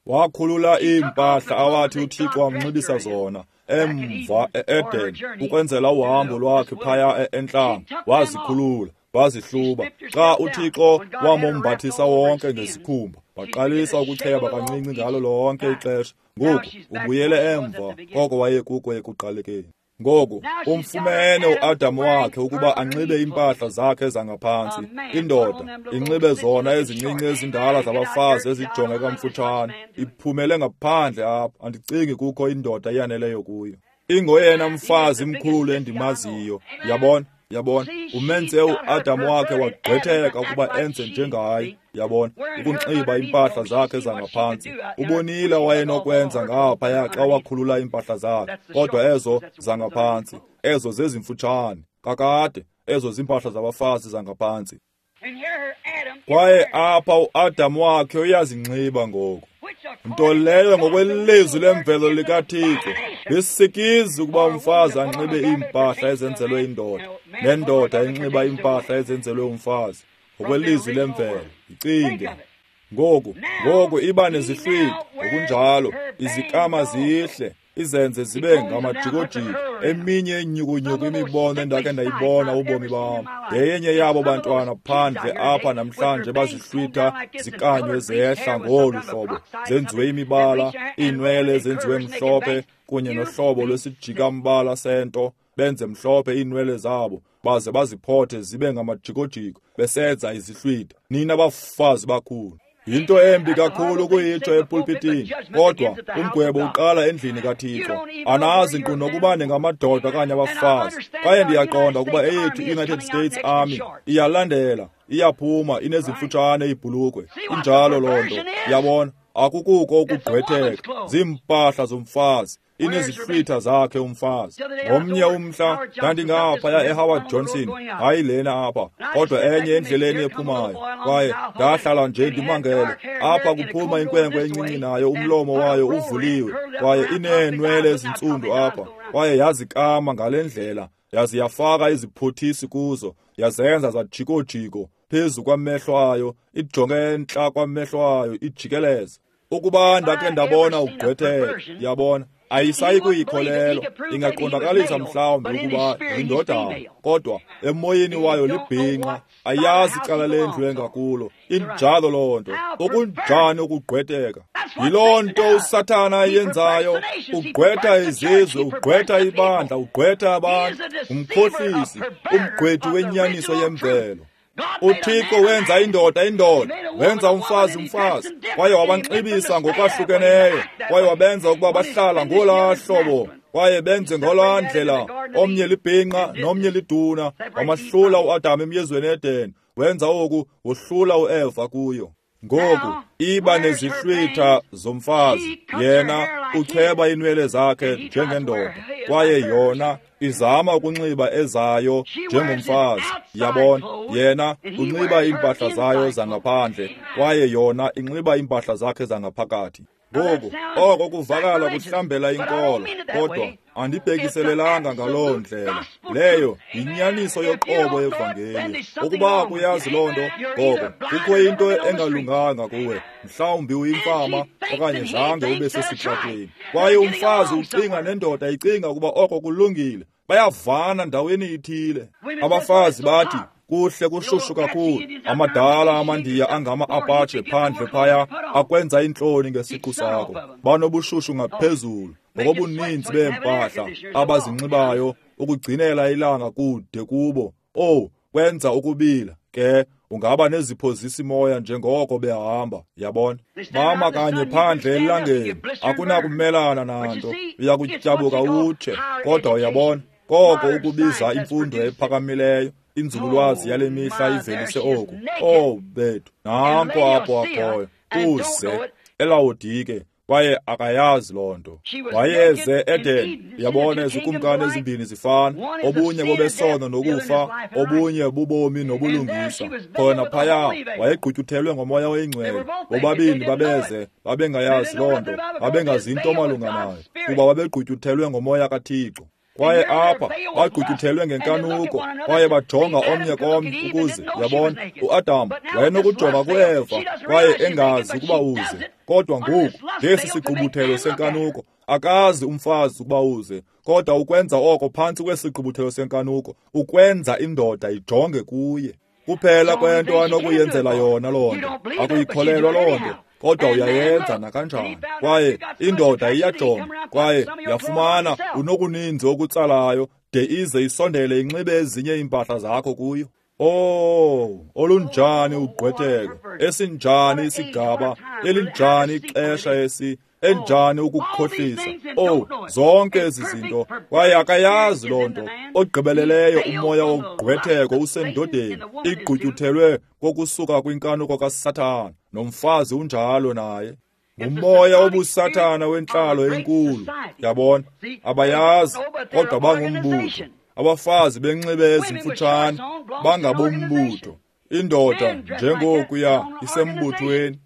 Wakhulula iimpahla awathi uThixo wamnxibisa zona emva e-Eden ukwenzela uhambo lwakhe phaya entlango. Wazikhulula, wazihluba. Xa uThixo wamombathisa wonke ngesikhumba, waqalisa ukucheba kancinci ngalo lonke ixesha. Ngoku ubuyele emva koko wayekuko ekuqalekeni. Ngoku umfumene uAdam wakhe ukuba anxibe iimpahla zakhe zangaphantsi, indoda inxibe zona ezincinci ezindala zabafazi ezijongeka mfutshane, iphumele ngaphandle apha. Andicingi kukho indoda eyaneleyo kuyo. Ingoyena mfazi mkhulu endimaziyo, yabona. Yabona, umenze uAdam wakhe wagqwetheka ukuba enze njengaye, yabona, ukunxiba iimpahla zakhe zangaphantsi. Ubonile wayenokwenza ngaphaya xa wakhulula iimpahla zakhe, kodwa ezo zangaphantsi, ezo zezimfutshane, kakade, ezo ziimpahla zabafazi zangaphantsi. Kwaye apha uAdam wakhe uyazinxiba ngoku. Nto leyo ngokwelizwi lemvelo likaThixo lisikizi ukuba umfazi anxibe iimpahla ezenzelwe indoda, nendoda inxiba iimpahla ezenzelwe umfazi, ngokwelizwi lemvelo. Icinge ngoku, ngoku iba nezihlwitha ngokunjalo, izikama zihle, izenze zibe ngamajikojiko. Eminye inyukunyuku imibono endakhe ndayibona ubomi bam, yeyenye yabo bantwana phandle apha namhlanje bazihlwitha zikanywe zehla ngolu hlobo, zenziwe imibala, iinwele zenziwe mhlophe kunye nohlobo lwesijikambala sento, benze mhlophe iinwele zabo baze baziphothe zibe ngamajikojiko besenza izihlwitha. Nina bafazi bakhulu, yinto embi kakhulu ukuyitsho epulpitini, kodwa umgwebo uqala endlini kaThixo. Anazi nkqu nokuba ningamadoda okanye abafazi. Kwaye ndiyaqonda ukuba eyethu i-United States Army iyalandela, iyaphuma, inezimfutshane iibhulukhwe. Injalo loo nto, yabona, akukuko ukugqwetheka, ziimpahla zomfazi, inezihlwitha zakhe umfazi. Ngomnye umhla ndandingaphaya eHoward Johnson, hayi lena apha, kodwa enye endleleni ephumayo, kwaye ndahlala nje ndimangele. Apha kuphuma inkwenkwe encinci nayo umlomo wayo uvuliwe, kwaye ineenwele ezintsundu apha, kwaye yazikama ngale ndlela, yaze yafaka iziphothisi kuzo, yazenza zajikojiko phezu kwamehlo ayo, ijonge entla kwamehlo ayo, ijikeleze. Ukuba ndakhe ndabona ugqwetheka, yabona, ayisayi kuyikholelwa, ingaqondakalisa mhlawumbi ukuba yindodana, kodwa emoyeni wayo libhinqa, ayazi icala lendlu engakulo. Injalo loo nto. Okunjani ukugqwetheka! Yiloo nto uSathana ayenzayo, ugqwetha izizwe, ugqwetha ibandla, ugqwetha abantu, umkhohlisi, umgqwethi wenyaniso yemvelo. UThixo wenza indoda indoda, wenza umfazi umfazi, kwaye wabanxibisa ngokwahlukeneyo, kwaye wabenza ukuba bahlala ngolaa hlobo, kwaye benze ngolaa ndlela, omnye libhinqa nomnye liduna. Wamahlula uAdam emyezweni eEden, wenza oku, wohlula uEva kuyo. Ngoku iba nezihlwitha zomfazi, yena ucheba iinwele zakhe njengendoda, kwaye yona izama ukunxiba ezayo njengomfazi. Yabona, yena unxiba iimpahla zayo zangaphandle, kwaye yona inxiba iimpahla zakhe zangaphakathi. Ngoku oko kuvakala kuhlambela inkolo, kodwa andibhekiselelanga ngaloo ndlela. Leyo yinyaniso yoqobo yevangeli. Ukuba kuyazi loo nto, ngoko kukho into engalunganga kuwe. Mhlawumbi uyimfama okanye zange ube sesitratweni. Kwaye umfazi ucinga nendoda icinga ukuba oko kulungile. Bayavana ndaweni ithile. Abafazi bathi kuhle kushushu kakhulu. Amadala amandiya angama-Apache phandle phaya akwenza intloni ngesiqu sakho. Banobushushu ngaphezulu ngokobuninzi beempahla abazinxibayo ukugcinela ilanga kude kubo. Oh, kwenza ukubila ke ungaba neziphozisi moya njengoko behamba, yabona. Mama kanye phandle elangeni akunakumelana nanto, uyakutyabuka utshe. Kodwa uyabona, koko ukubiza imfundo ephakamileyo, inzululwazi yale mihla ivelise oku. Oh bethu, nanko apho akhoyo, uze eLawodike, kwaye akayazi loo nto. Wayeze Eden, yabona, izikumkani ezimbini zifana, obunye bobesono nokufa, obunye bubomi nobulungisa. Khona phaya wayegqutyuthelwe ngomoya oyingcwele. Bobabini babeze, babengayazi loo nto, babengazi into malunga nayo, kuba babegqutyuthelwe ngomoya kaThixo. Kwaye apha bagqutyuthelwe ngenkanuko, kwaye bajonga omnye komnye ukuze, yabona, uAdam wayenokujonga kuEva kwaye engazi ukuba uze. Kodwa ngoku ngesi sigqubuthelo senkanuko, akazi umfazi ukuba uze, kodwa ukwenza oko phantsi kwesigqubuthelo senkanuko, ukwenza indoda ijonge kuye. Kuphela kwento anokuyenzela yona loo nto. Akuyikholelwa loo nto, kodwa uyayenza nakanjani. Kwaye indoda iyajonga, kwaye yafumana unokuninzi okutsalayo de ize isondele inxibe ezinye iimpahla zakho kuyo. Oh, olunjani ugqwetheko, esinjani isigaba, elinjani ixesha esi, enjani ukukhohlisa. Oh, zonke ezi zinto, kwaye akayazi loo nto. Ogqibeleleyo umoya wogqwetheko usendodeni, igqutyuthelwe kokusuka kwinkanuko kaSathana, nomfazi unjalo naye. Ngumoya wobusathana wentlalo enkulu, yabona, abayazi, kodwa bangumbutho. Abafazi benxibe ezimfutshane bangabombutho. Indoda njengokuya isembuthweni.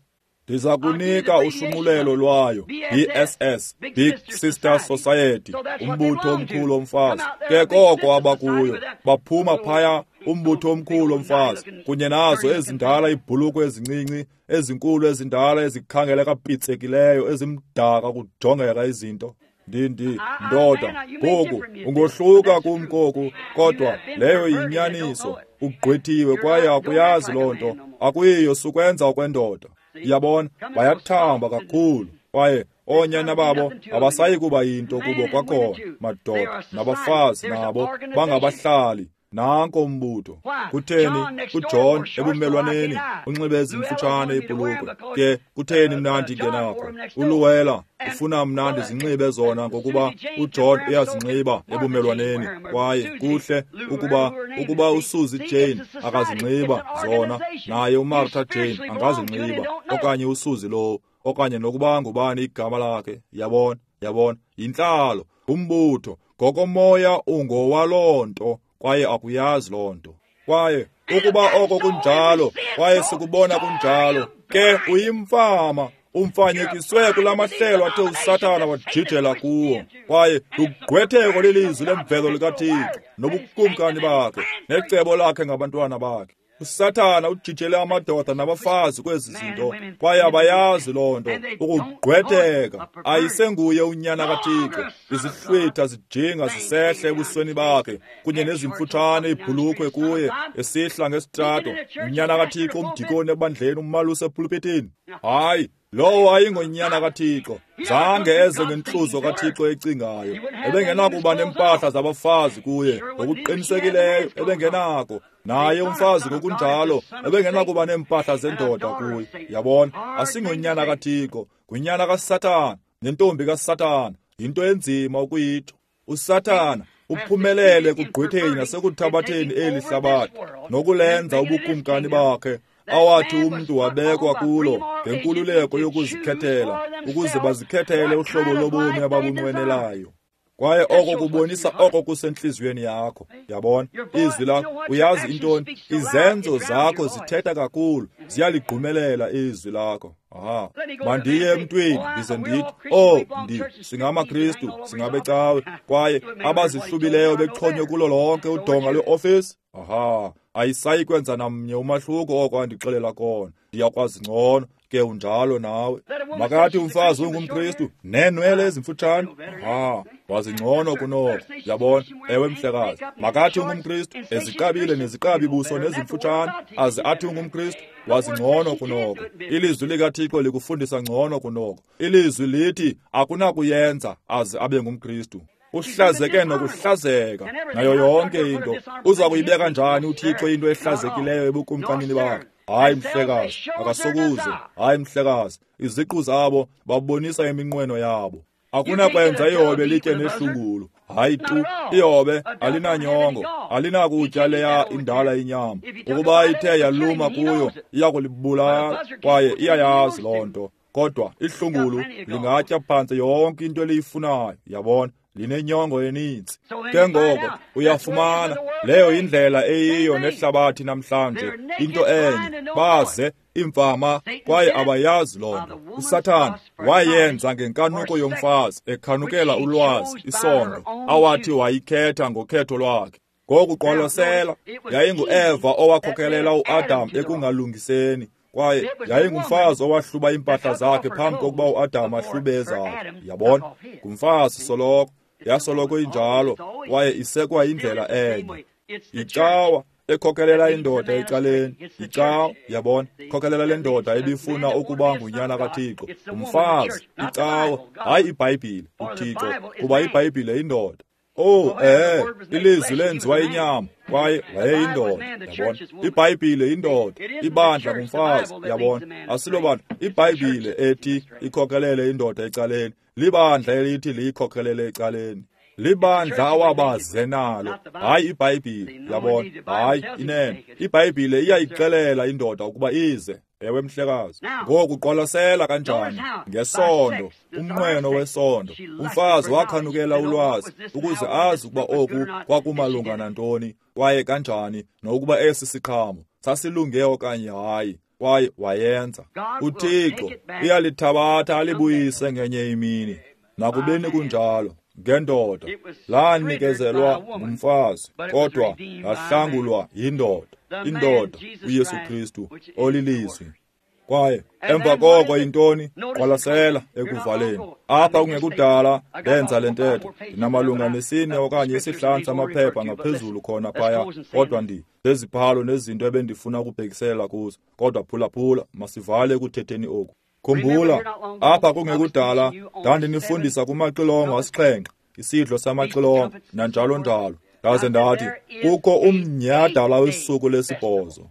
Ndiza kunika ushunqulelo lwayo, B S S, Big Sister Society, umbutho omkhulu womfazi. Ke koko abakuyo, baphuma phaya umbutho omkhulu womfazi, kunye nazo ezindala iibhulukhwe ezincinci, ezinkulu ezindala ezikhangeleka pitsekileyo, ezimdaka kujongeka izinto. Ndi ndoda, ngoku ungohluka kum koku, kodwa leyo yinyaniso. Ugqwethiwe kwaye akuyazi loo nto, akuyiyo sukwenza okwendoda. Yabona, bayathamba kakhulu, kwaye oonyana babo abasayi kuba yinto kubo kwakhona. Madoda nabafazi nabo bangabahlali. Nanko umbutho. Kutheni uJohn ebumelwaneni unxibe ezimfutshane iibhulukhwe? Ke kutheni mna ndingenakho? ULuwela ufuna mna ndizinxibe zona ngokuba uJohn uyazinxiba ebumelwaneni, kwaye kuhle ukuba ukuba uSuzy Jane akazinxiba zona, naye uMartha Jane angazinxiba, okanye uSuzy lo, okanye nokuba ngubani igama lakhe. Yabona, yabona, yintlalo, umbutho, ngokomoya ungowaloo nto, kwaye akuyazi loo nto. Kwaye ukuba oko kunjalo, kwaye sikubona kunjalo, ke uyimfama, umfanyekiswe kula mahlelo athe uSathana wajijela kuwo. Kwaye lugqwetheko lilizwi lemvelo likaThixo nobukumkani bakhe necebo lakhe ngabantwana bakhe. uSathana ujijele amadoda nabafazi kwezi zinto, kwaye abayazi loo nto. Ukugqwetheka ayisenguye unyana kaThixo. Izihlwitha zijinga zisehle ebusweni bakhe, kunye nezimfutshane iibhulukhwe kuye esihla ngesitrato. Unyana kaThixo, umdikoni ebandleni, umalusi epulpitini. Hayi, lowo ayingonyana kaThixo. Zange eze ngentluzo kaThixo ecingayo. Ebengenakuba nempahla zabafazi kuye, ngokuqinisekileyo ebengenako. Naye umfazi ngokunjalo ebengenakuba neempahla zendoda kuye. Yabona, asingonyana kaThixo, ngunyana kaSathana nentombi kaSathana. Yinto enzima ukuyitsho. uSathana uphumelele ekugqwetheni nasekuthabatheni eli hlabathi nokulenza ubukumkani bakhe, awathi umntu wabekwa kulo ngenkululeko yokuzikhethela, ukuze bazikhethele uhlobo lobomi ababunqwenelayo. Kwaye oko kubonisa oko kusentliziyweni yakho. Yabona, izwi lakho, uyazi intoni? Izenzo zakho zithetha kakhulu, ziyaligqumelela izwi lakho. Aha, mandiye emntwini ndize ndithi, oh, ndi singamaKristu, singabecawe, kwaye abazihlubileyo bexhonywe kulo lonke udonga lweofisi. Aha, ayisayi kwenza namnye umahluko oko andixelela kona. Ndiyakwazi ngcono, ke unjalo nawe. Makathi umfazi ungumKristu neenwele ezimfutshane. Aha, wazi ngcono kunoko. Yabona, ewe mhlekazi. Makathi ungumKristu eziqabile neziqabi buso nezimfutshane, aze athi ungumKristu, wazi ngcono kunoko. Ilizwi likaThixo likufundisa ngcono kunoko. Ilizwi lithi akunakuyenza aze abe ngumKristu. Uhlazeke nokuhlazeka nayo yonke into. Uza kuyibeka njani uThixo into ehlazekileyo ebukumkanini bakhe? Hayi mhlekazi, akasokuze. Hayi mhlekazi, iziqu zabo babonisa iminqweno yabo. Akunakwenza ihobe litye nehlungulu. Hayi tu, ihobe alinanyongo, alinakutya leya indala inyama. Ukuba ithe yaluma kuyo, iyakulibulala, kwaye iyayazi loo nto. Kodwa ihlungulu lingatya phantse yonke into eliyifunayo, yabona, linenyongo eninzi. Ke ngoko uyafumana leyo indlela eyiyo nehlabathi namhlanje, into enye, baze imfama kwaye abayazi loo nto. uSathana wayenza ngenkanuko yomfazi, ekhanukela ulwazi, isondo, awathi wayikhetha ngokhetho lwakhe. Ngoku qwalasela, yayinguEva owakhokelela uAdam ekungalungiseni, kwaye yayingumfazi owahluba iimpahla zakhe phambi kokuba uAdam ahlube ezakhe. Yabona, ngumfazi soloko, yasoloko injalo, kwaye isekwa indlela enye. Icawa ekhokelela indoda ecaleni. Yicawa, yabona, khokelela le ndoda ebifuna ukuba ngunyana kaThixo. Umfazi, icawa, hayi iBhayibhile, uThixo, kuba iBhayibhile yindoda. Oh, eh, ilizwi lenziwa inyama, kwaye wayeyindoda, yabona. IBhayibhile yindoda, ibandla ngumfazi, yabona. Asilobandla, iBhayibhile ethi ikhokelele indoda ecaleni, libandla elithi liyikhokhelele ecaleni. Libandla awabaze nalo, hayi iBhayibhile, yabona. Hayi, inene, iBhayibhile iyayixelela indoda ukuba ize. Ewe mhlekazi. Ngoku qwalasela kanjani ngesondo, umnqweno wesondo. Umfazi wakhanukela ulwazi ukuze azi ukuba oku kwakumalunga nantoni, kwaye kanjani, nokuba esi siqhamo sasilunge okanye hayi, kwaye wayenza. UThixo uyalithabatha alibuyise ngenye imini. Nakubeni kunjalo, ngendoda lanikezelwa ngumfazi, kodwa lahlangulwa yindoda. Indoda uYesu Kristu olilizwi. Kwaye emva koko yintoni? Qwalasela ekuvaleni. Apha kungekudala ndenza le ntetho, ndinamalunga nesine okanye isihlanu samaphepha ngaphezulu khona phaya, kodwa ndi zeziphalo nezinto ebendifuna ukubhekisela kuzo. Kodwa phulaphula, masivale ekuthetheni oku. Khumbula, apha kungekudala ndandinifundisa kumaxilongo asixhenxe, isidlo samaxilongo nanjalo njalo. Ndaze ndathi kukho umnyhadala wesuku lesibhozo.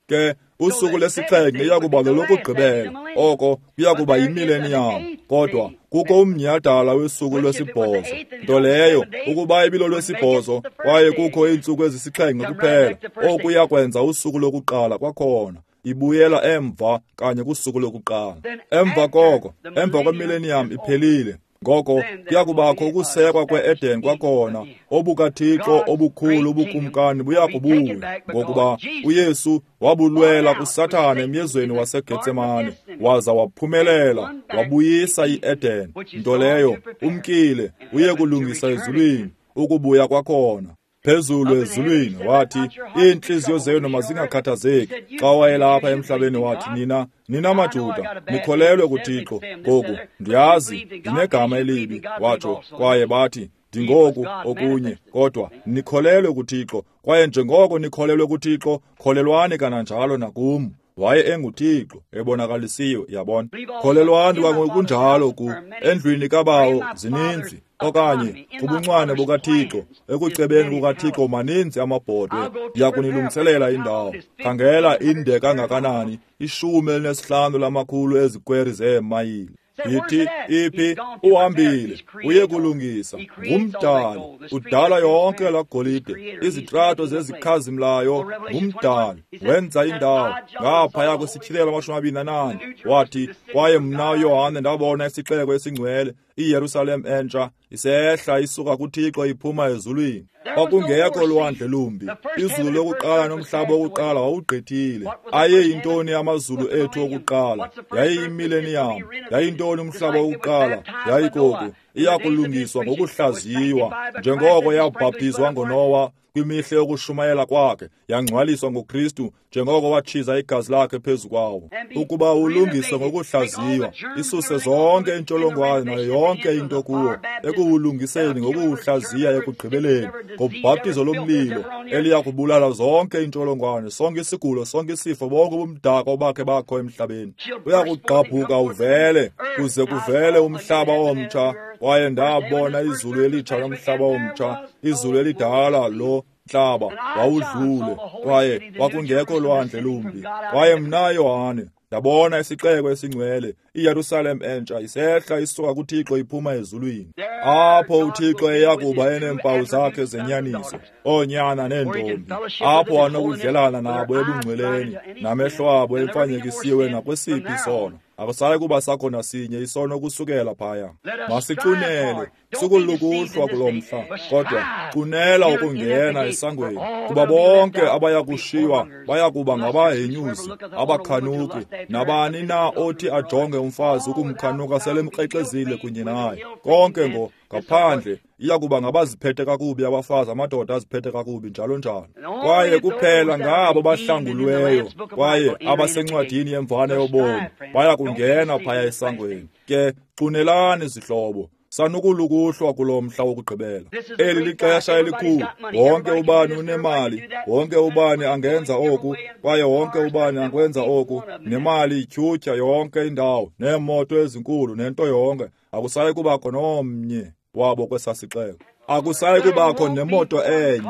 Ke usuku lesixhenxe iyakuba lolokugqibela, oko kuyakuba yimileniyam. Kodwa kukho umnyhadala wesuku lwesibhozo, nto leyo ukuba ibilolwesibhozo kwaye kukho iintsuku ezisixhenxe kuphela, oku iyakwenza usuku lokuqala kwakhona. Ibuyela emva kanye kusuku lokuqala. Emva koko, emva kwemileniyam iphelile. Ngoko kuyakubakho ukusekwa kwe-Eden kwakhona, obukaThixo obukhulu ubukumkani buyakubuya, ngokuba uYesu wabulwela kuSathane emyezweni waseGetsemane, waza waphumelela, wabuyisa i-Eden. Nto leyo umkile uye kulungisa ezulwini, ukubuya kwakhona. Phezulu ezulwini wathi, iintliziyo zenu mazingakhathazeki. Xa wayelapha emhlabeni wathi, nina nina maJuda, nikholelwe kuThixo. Ngoku ndiyazi ndinegama elibi, watsho, kwaye bathi ndingoku okunye, kodwa nikholelwe kuThixo. Kwaye njengoko nikholelwe kuThixo, kholelwani kananjalo nakum. Waye enguThixo ebonakalisiwe, yabona. Kholelwani kwangokunjalo ku endlwini kaBawo zininzi, okanye kubuncwane bukaThixo, ekucebeni kukaThixo maninzi amabhodwe. Ndiyakunilungiselela indawo. Khangela inde kangakanani, ishumi elinesihlanu lamakhulu ezikweri zeemayile. Yithi iphi? Uhambile uye kulungisa. Ngumdali, udala yonke la golide, izitrato zezikhazimlayo. Ngumdali, wenza indawo. Ngaphaya kwesityhilelo amashumi amabini nanane wathi, kwaye mna Yohane ndabona isixeko esingcwele, iYerusalem entsha, isehla isuka kuThixo iphuma ezulwini. Kwakungekho lwandle lumbi. Izulu lokuqala nomhlaba wokuqala wawugqithile. Ayeyintoni amazulu ethu okuqala? Yayiyimileniyam. Yayintoni umhlaba wokuqala? Yayikoku iyakulungiswa ngokuhlaziywa, njengoko yabhaptizwa ngoNowa kwimihla yokushumayela kwakhe, yangcwaliswa ngoKristu njengoko watshiza igazi lakhe phezu kwawo. Ukuba ulungiswe ngokuhlaziywa, isuse zonke intsholongwane nayo yonke into kuwo, ekuwulungiseni ngokuwuhlaziya ekugqibeleni ngobhaptizo lomlilo eliya kubulala zonke intsholongwane, sonke isigulo, sonke isifo, bonke ubumdaka obakhe bakho emhlabeni. Uyakugqabhuka uvele, kuze kuvele umhlaba omtsha. Kwaye ndabona izulu elitsha nomhlaba omtsha. Izulu elidala lo mhlaba wawudlule, kwaye kwakungekho lwandle lumbi. Kwaye mna Yohane ndabona isixeko esingcwele, iYerusalem entsha, isehla isuka kuThixo iphuma ezulwini. Apho uThixo eyakuba eneempawu zakhe zenyaniso, oonyana neentombi, apho anokudlelana nabo ebungcweleni, namehlo abo emfanyekisiwe nakwesiphi isono. Akusayi kuba sakho nasinye isono kusukela phaya. Masicunele, sukulukuhlwa kulo mhla, kodwa cunela ukungena esangweni, kuba bonke abaya kushiywa baya kuba ngabahenyuzi, abakhanuki, nabani na othi ajonge umfazi ukumkhanuka selemkrexezile kunye naye. Konke ngo ngaphandle iya kuba ngabaziphethe kakubi abafazi, amadoda aziphethe kakubi, njalo njalo. Kwaye kuphela ngabo bahlangulweyo kwaye abasencwadini yemvana yobomi baya kungena phaya esangweni. Ke cunelani zihlobo, Sanukulukuhlwa kulo mhla wokugqibela. Eli lixesha elikhulu. Wonke ubani unemali, wonke ubani angenza oku, kwaye wonke ubani angwenza oku. Nemali ityhutyha yonke indawo, neemoto ezinkulu nento yonke. Akusayi kubakho nomnye wabo kwesaa sixeko. Akusayi kubakho nemoto enye,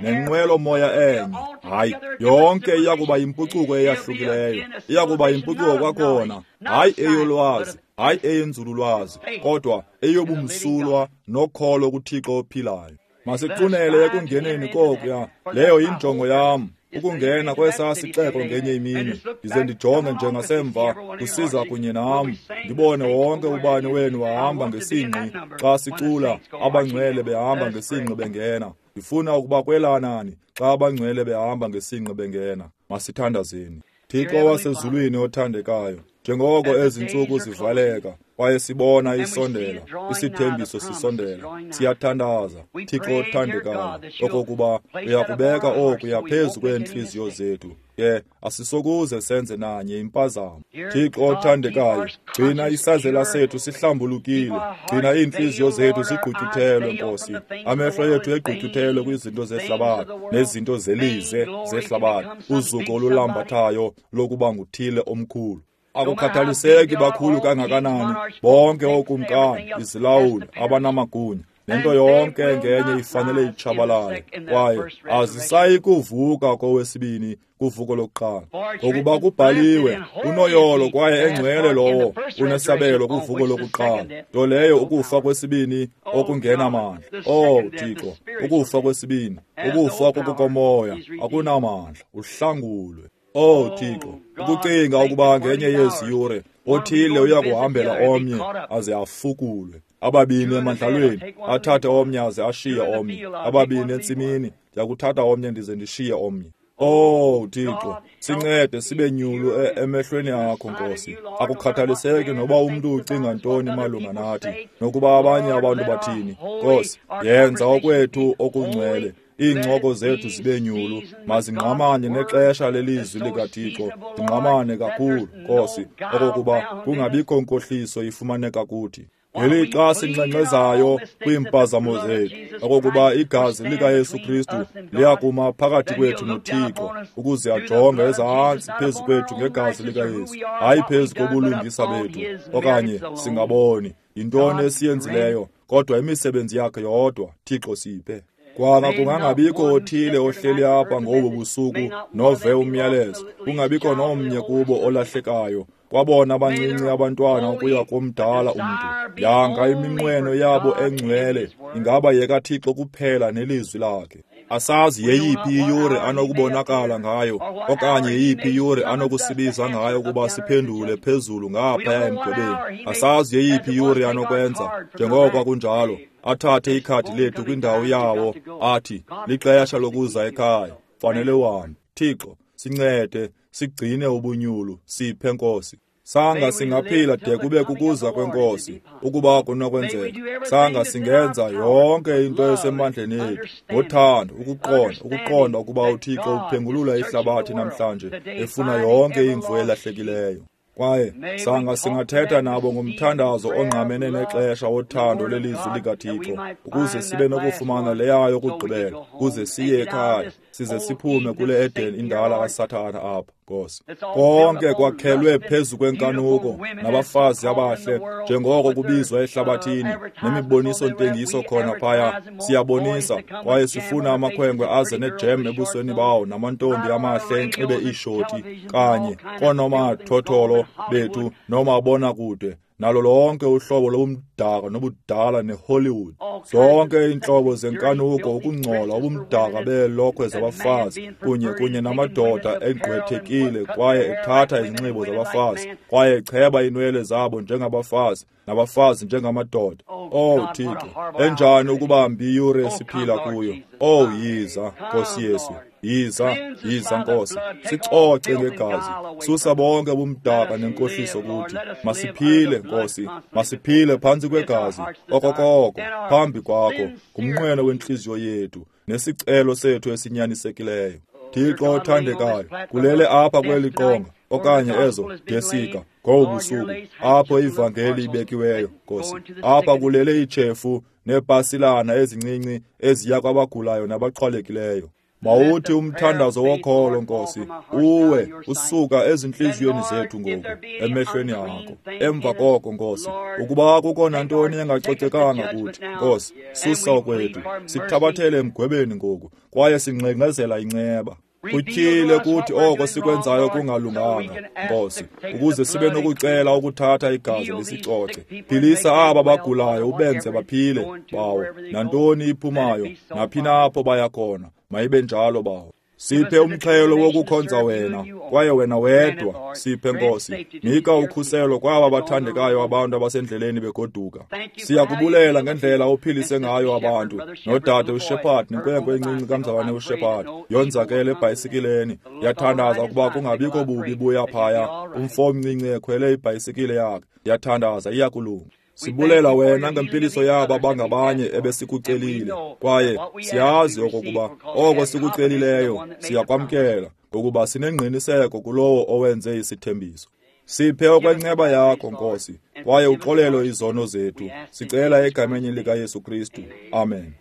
nenqwelo-moya enye. Hayi, yonke iya kuba yimpucuko eyahlukileyo. Iya kuba yimpucuko kwakhona, hayi eyolwazi, hayi eyenzululwazi, kodwa eyobumsulwa nokholo kuThixo ophilayo. Masiqunele ekungeneni kokuya. Leyo yinjongo yam, ukungena kwesaa sixeko ngenye imini, ndize ndijonge njengasemva kusiza kunye nam, ndibone wonke ubani wenu wahamba ngesingqi xa sicula abangcwele behamba ngesingqi bengena. Ndifuna ukuba kwelanani xa abangcwele behamba ngesingqi bengena. Masithandazeni. Thixo wasezulwini othandekayo, njengoko ezi ntsuku zivaleka kwaye sibona isondela, isithembiso sisondela, siyathandaza, Thixo othandekayo, okokuba uyakubeka okuya phezu kweentliziyo zethu. Ke asisokuze senze nanye impazamo. Thixo othandekayo, gcina isazela sethu sihlambulukile, gcina iintliziyo zethu zigqutyuthelwe, Nkosi. Amehlo ethu egqutyuthelwe kwizinto zehlabathi nezinto zelize zehlabathi, uzuko olulambathayo lokuba nguthile omkhulu. Akukhathaliseki bakhulu kangakanani, bonke ookumkani, izilawuli, abanamagunya, nento yonke ngenye ifanele itshabalale, kwaye azisayi kuvuka kowesibini kuvuko lokuqala. Ngokuba kubhaliwe, unoyolo kwaye engcwele lowo unesabelo kuvuko lokuqala, nto leyo ukufa kwesibini okungenamandla. Oh Thixo, ukufa kwesibini, ukufa kokomoya akunamandla, uhlangulwe. Oh Thixo, ukucinga ukuba ngenye yezi yure othile uya kuhambela omnye aze afukulwe, ababini emandlalweni athathe omnye aze ashiye omnye, ababini entsimini ndiyakuthatha omnye ndize ndishiye omnye. Oh Thixo, sincede sibe nyulu emehlweni akho, Nkosi. Akukhathaliseki noba umntu ucinga ntoni malunga nathi, nokuba abanye abantu bathini. Nkosi, yenza okwethu okungcwele, iincoko zethu zibe nyulu, mazingqamane nexesha lelizwi likaThixo, zingqamane kakhulu, Nkosi, okokuba kungabikho nkohliso ifumaneka kuthi. Ngelixa sinxenxezayo kwiimpazamo zethu, okokuba igazi likaYesu Kristu liyakuma phakathi kwethu noThixo, ukuze ajonge ezantsi phezu kwethu ngegazi likaYesu, hayi phezu kobulungisa bethu, okanye singaboni yintoni esiyenzileyo, kodwa imisebenzi yakhe yodwa. Thixo siphe. Kwanga kungangabikho othile ohleli apha ngobu busuku nove umyalezo, kungabikho nomnye kubo olahlekayo, kwabona abancinci abantwana ukuya komdala umntu. Yanga iminqweno yabo engcwele ingaba yekaThixo kuphela nelizwi lakhe. Asazi yeyiphi iyure anokubonakala ngayo, okanye yeyiphi iyure anokusibiza ngayo ukuba siphendule phezulu ngaphaya emgwebeni. Asazi yeyiphi iyure anokwenza, njengoko kunjalo, athathe ikhadi lethu kwindawo yawo, athi lixesha lokuza ekhaya, fanele uhambe. Thixo, sincede sigcine ubunyulu, siphe Nkosi. Sanga singaphila de kube kukuza kweNkosi, ukuba kunokwenzeka. Sanga singenza yonke into esemandleni ethu ngothando, ukuqonda, ukuqonda ukuba uThixo uphengulula ihlabathi namhlanje, efuna yonke imvu elahlekileyo. Kwaye sanga singathetha nabo ngomthandazo ongqamene nexesha wothando lelizwi likaThixo, ukuze sibe nokufumana leyayo yokugqibela, ukuze siye ekhaya, size siphume kule Eden indala kaSathana apha, Nkosi. Konke kwakhelwe phezu kwenkanuko nabafazi abahle, njengoko kubizwa ehlabathini, nemiboniso-ntengiso khona phaya. Siyabonisa kwaye sifuna amakhwenkwe aze nejem ebusweni bawo, namantombi amahle enxibe iishoti, kanye koonomathotholo bethu nomabonakude, nalo lonke uhlobo lobumdaka nobudala neHollywood. Zonke iintlobo zenkanuko, ukungcola, ubumdaka beelokhwe zabafazi, kunye kunye namadoda egqwethekile kwaye ethatha izinxibo zabafazi, kwaye echeba iinwele zabo njengabafazi, nabafazi njengamadoda. Oh Thixo, enjani ukuba mbi iyure esiphila kuyo. Oh yiza, Nkosi Yesu. Yiza, yiza Nkosi, sicoce ngegazi, susa bonke ubumdaka nenkohliso kuthi. Masiphile Nkosi, masiphile phantsi kwegazi, okokoko, phambi kwakho, ngumnqweno wentliziyo yethu, nesicelo sethu esinyanisekileyo. Thixo othandekayo, kulele apha kweli qonga, okanye ezo desika, Ngobu busuku apho ivangeli ibekiweyo, Nkosi, apha kulele iitshefu neepasilana ezincinci eziya kwabagulayo nabaxhwalekileyo. Mawuthi umthandazo wokholo, Nkosi, uwe usuka ezintliziyweni zethu ngoku emehlweni akho. Emva koko, Nkosi, ukuba kukho nantoni engacocekanga kuthi, Nkosi, susa okwethu, sithabathele emgwebeni ngoku, kwaye singxengxezela inceba. Kutyhile kuthi oko sikwenzayo kungalunganga, Nkosi, ukuze sibe nokucela ukuthatha igazi lisicoce. Philisa aba bagulayo ubenze baphile, Bawo. Nantoni iphumayo, naphi na apho baya khona, mayibe njalo, Bawo. Siphe umxhelo wokukhonza wena, kwaye wena wedwa. Siphe, Nkosi, nika ukhuselo kwaba bathandekayo abantu abasendleleni begoduka. Siyakubulela ngendlela ophilise ngayo abantu, nodade uShepherd nenkwenkwe encinci kamzalwane uShepherd yonzakele ebhayisikileni. Yathandaza ukuba kungabikho bubi buya phaya, umfo omncinci ekhwele ibhayisikile yakhe. Yathandaza iyakulunga. Sibulela wena ngempiliso yaba bangabanye ebesikucelile, kwaye siyazi okokuba oko sikucelileyo siyakwamkela, ngokuba sinengqiniseko kulowo owenze isithembiso. Siphe okwenceba yakho, Nkosi, kwaye uxolele izono zethu. Sicela egameni likaYesu Kristu. Amen.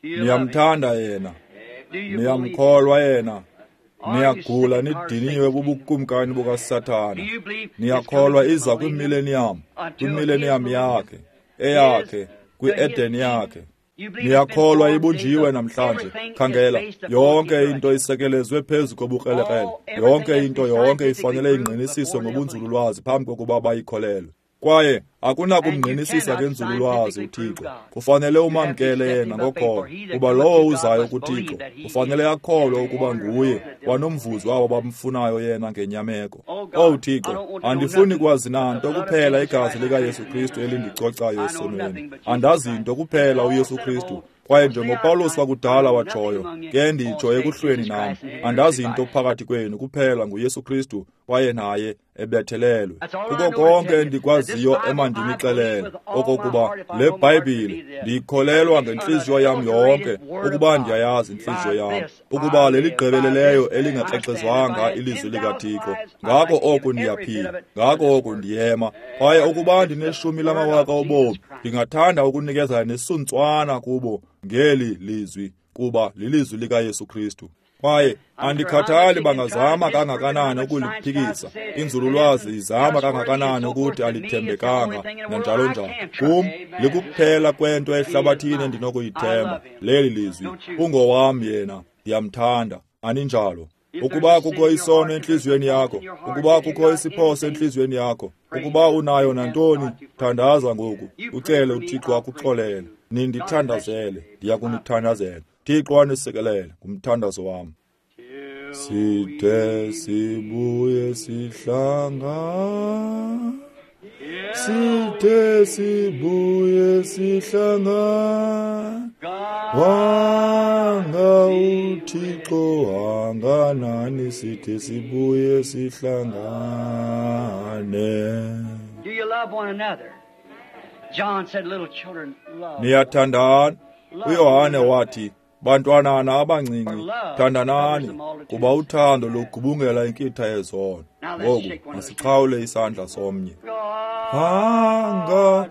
Niyamthanda yena, niyamkholwa yena. Niyagula nidiniwe bubukumkani bukaSathana. Niyakholwa iza kwimileniyam, kwimileniyam yakhe, eyakhe, kwi-Eden yakhe. Niyakholwa ibunjiwe namhlanje. Khangela, yonke into isekelezwe phezu kobukrelekrele. Yonke into yonke ifanele ingqinisiswe ngobunzululwazi phambi kokuba bayikholelwe. Kwaye akunakumngqinisisa ngenzululwazi uThixo. Kufanele umamkele yena ngokholo, kuba lowo uzayo kuThixo kufanele akholwe ukuba nguye kwanomvuzo wabo bamfunayo yena ngenyameko. Owu Thixo, andifuni kwazi nanto kuphela igazi likaYesu Kristu elindicocayo esonweni. Andazi nto kuphela uYesu Kristu. Kwaye njengoPawulos wakudala watshoyo, ke nditsho ekuhlweni nam, andazi nto phakathi kwenu kuphela nguYesu Kristu, kwaye naye ebethelelwe. Kuko konke endikwaziyo emandinixelele, okokuba le Bhayibhile ndiyikholelwa ngentliziyo yam yonke, ukuba ndiyayazi intliziyo yam, ukuba leligqibeleleyo elingakrexezwanga ilizwi likaThixo. Ngako oku ndiyaphila, ngako oku ndiyema. Kwaye ukuba ndineshumi lamawaka obomi, ndingathanda ukunikezela nesuntswana kubo ngeli lizwi, kuba lilizwi likaYesu Kristu. Kwaye andikhathali bangazama kangakanani ukuliphikisa, inzululwazi izama kangakanani ukuthi alithembekanga nanjalo njalo. Kum likuphela kwento ehlabathini endinokuyithemba leli lizwi. Ungowam yena, ndiyamthanda. Aninjalo? Ukuba kukho isono entliziyweni yakho, ukuba kukho isiphoso entliziyweni yakho, ukuba unayo nantoni, thandaza ngoku, ucele uThixo akuxolele. Nindithandazele, ndiyakunithandazela. Thixo anisikelele, ngumthandazo wam. Side sibuye sihlanga, side sibuye sihlanga, wanga uThixo wanganani, side sibuye sihlangane. Do you love one another? John said, little children, love. Niyathandana. uYohane wathi, bantwanana abancinci, thandanani, kuba uthando lugubungela inkitha yezono. Ngoku masiqhawule isandla somnye. Hanga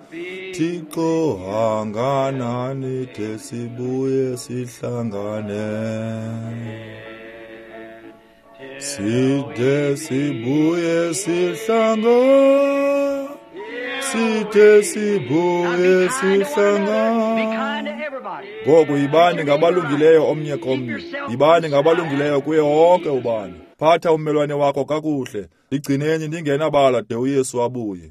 Thixo hanganani, de sibuye sihlangane, side sibuye sihlangane, side sibuye sihlangane. Ngoku yibani ngabalungileyo omnye komnye, yibani ngabalungileyo kuye wonke ubani. Phatha ummelwane wakho kakuhle, ligcineni ningenabala de uYesu abuye.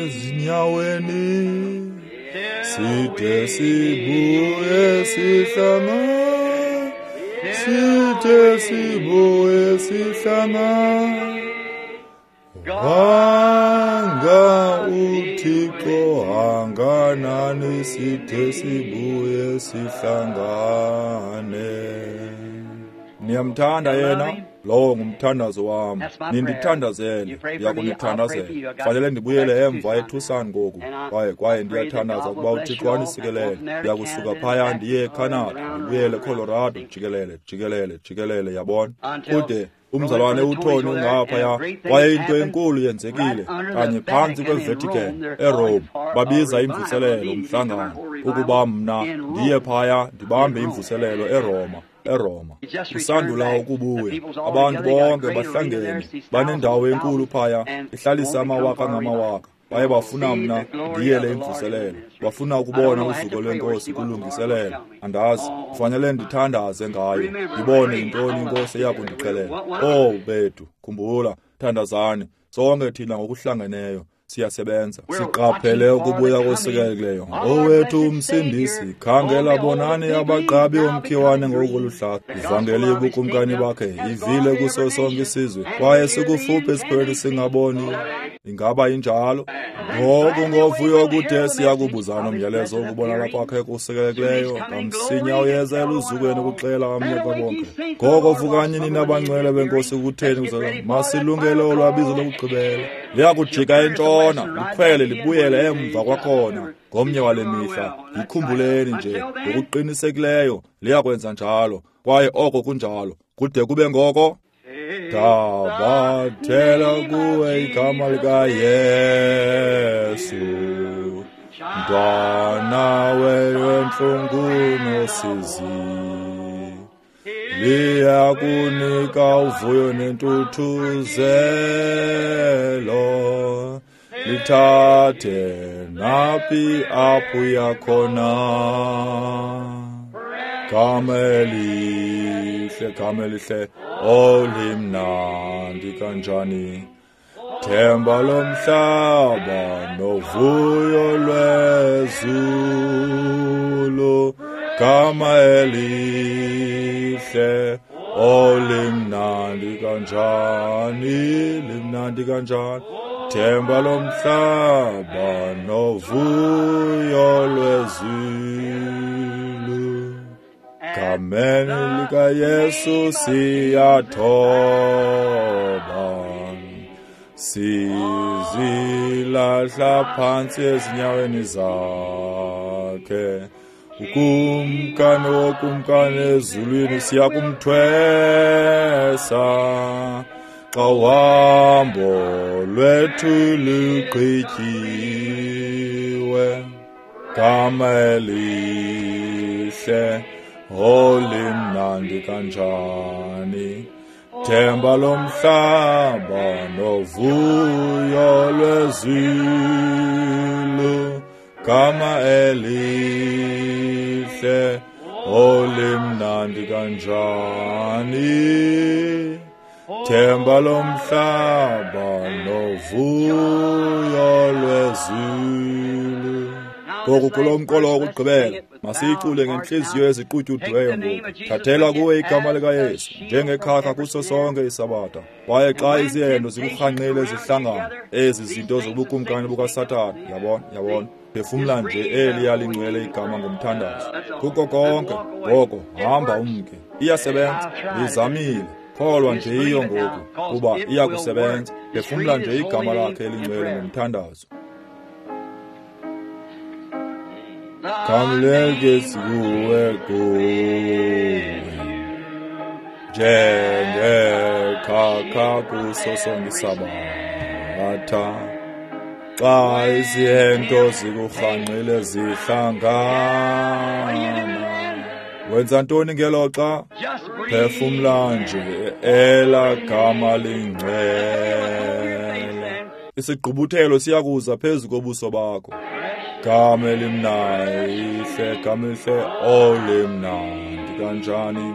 Ezinyaweni side sibuye sihlangane, side sibuye sihlangane, wanga uThixo hanganani, side sibuye sihlangane. Niyamthanda yena? Lowo ngumthandazo wam. Nindithandazele, ndiyakunithandazela. Fanele ndibuyele emva eTucson ngoku, kwaye kwaye ndiyathandaza ukuba uThixo anisikelele. Ndiyakusuka phaya ndiye eCanada, ndibuyele eColorado, jikelele, jikelele, jikelele, yabona. Kude umzalwane uTony ungaphaya, kwaye into enkulu yenzekile kanye phantsi kweVatican eRome. Babiza imvuselelo umhlangano ukuba mna ndiye phaya ndibambe imvuselelo eRoma. eRoma. Usandula ukubuya. Abantu bonke bahlangene, banendawo enkulu phaya, ihlalisa amawaka ngamawaka. Baye bafuna mna ndiyele imvuselelo. Bafuna ukubona uzuko lwenkosi kulungiselela. Andazi, kufanele ndithandaze ngayo, ndibone yintoni inkosi eyakundixelela. Oh bethu, khumbula, thandazani sonke thina ngokuhlangeneyo. Siyasebenza, siqaphele ukubuya kosikelekileyo. Owethu umsindisi, khangela bonani abaqabi omkhiwane ngokuluhlaza. Ivangeli yobukumkani bakhe ivile kuso sonke isizwe, kwaye sikufuphi esiphelo singaboni. Ingaba injalo? Ngoku ngovuyo kude siyakubuzana umyalezo wokubonakala kwakhe kusikelekileyo. Kamsinya uyeza eluzukweni ukuxela amnye kwabonke. Ngoko vukani nina abangcwele benkosi, kutheni kuzala masilungele olwabizo lokugqibela. Liyakujika entshona, likhwele libuyele emva kwakhona ngomnye wale mihla. Yikhumbuleni nje ngokuqinisekileyo liyakwenza njalo, kwaye oko kunjalo kude kube ngoko. Tabathela kuwe igama likaYesu, mntwana wentlungu nosizi, liyakunika uvuyo nentuthuzelo, lithathe naphi apho uya khona. Gama elihle, gama elihle, olimnandi kanjani, themba lomhlaba novuyo lwezulu. Gama elihle, olimnandi kanjani, limnandi kanjani, themba lomhlaba novuyo lwezulu. Gameni likaYesu siyathoba, sizilahla phantsi ezinyaweni zakhe. Ukumkani wokumkani ezulwini siyakumthwesa, xa uhambo lwethu lugqityiwe. Gama elihle, olimnandi kanjani, themba lomhlaba novuyo lwezulu. Gama elihle, olimnandi kanjani, themba lomhlaba novuyo lwezulu. Ngoku kulo mqolo wokugqibela, masiyicule ngentliziyo eziqutyudiweyo ngoku. Thathela kuwe igama likaYesu njengekhakha kuso sonke isabatha. Kwaye xa izihendo zikurhanqile zihlangana, ezi zinto zobukumkani bukaSathana, yabona, yabona. Phefumla nje eliya lingcwele igama ngomthandazo. Kuko konke, ngoko hamba umke. Iyasebenza, ndizamile. Kholwa nje iyo ngoku, kuba iyakusebenza. Phefumla nje igama lakhe elingcwele ngomthandazo. Kamleke kuwe kuwe, njengekhakha kuso sonke isabatha. Xa izihento zikurhanqile zihlangana, wenza ntoni ngelo xa? Phefumla nje ela gama lingcwele. Isigqubuthelo siyakuza phezu kobuso bakho. Gama elimnandi, gama elihle, olimnandi kanjani,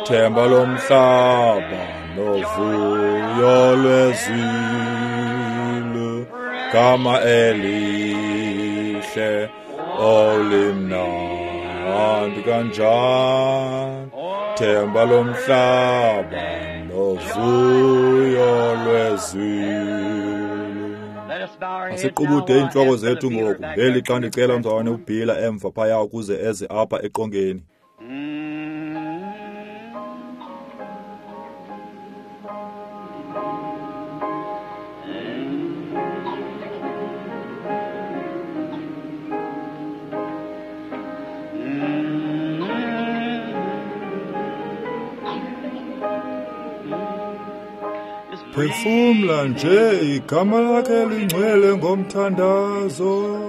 themba lomhlaba novuyo lwezulu. Gama elihle, olimnandi kanjani, themba lomhlaba novuyo lwezulu. Asiqubude iintloko zethu ngoku ngeli xa ndicela umzalwane uBhila emva phaya ukuze eze apha eqongeni. Mm. Phefumla nje igama lakhe lingcwele ngomthandazo.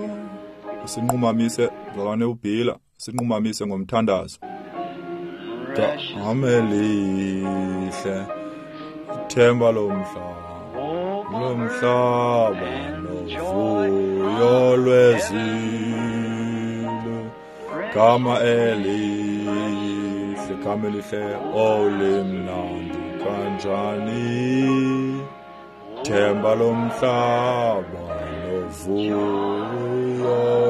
Sinqumamise mzalwane uBhila, sinqumamise ngomthandazo. Gama elihle, ithemba lomhlaba, lomhlaba novuyo lwezilo. Gama elihle, gama elihle, olimnandi kanjani, themba lomhlaba novuyo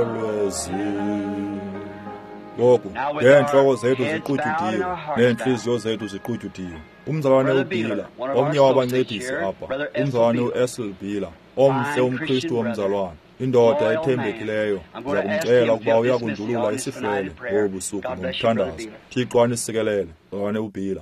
lwezilo. Ngoku ngeentloko zethu ziqutyudiwe neentliziyo zethu ziqutyudiwe. Umzalwane uBhila, omnye wabancedisi apha, umzalwane uEssel Bhila, omhle umKristu womzalwane, indoda ethembekileyo. Ndiza kumcela ukuba uya kundulula isihlwele ngobu busuku ngomthandazo. Thixo anisikelele, mzalwane uBhila.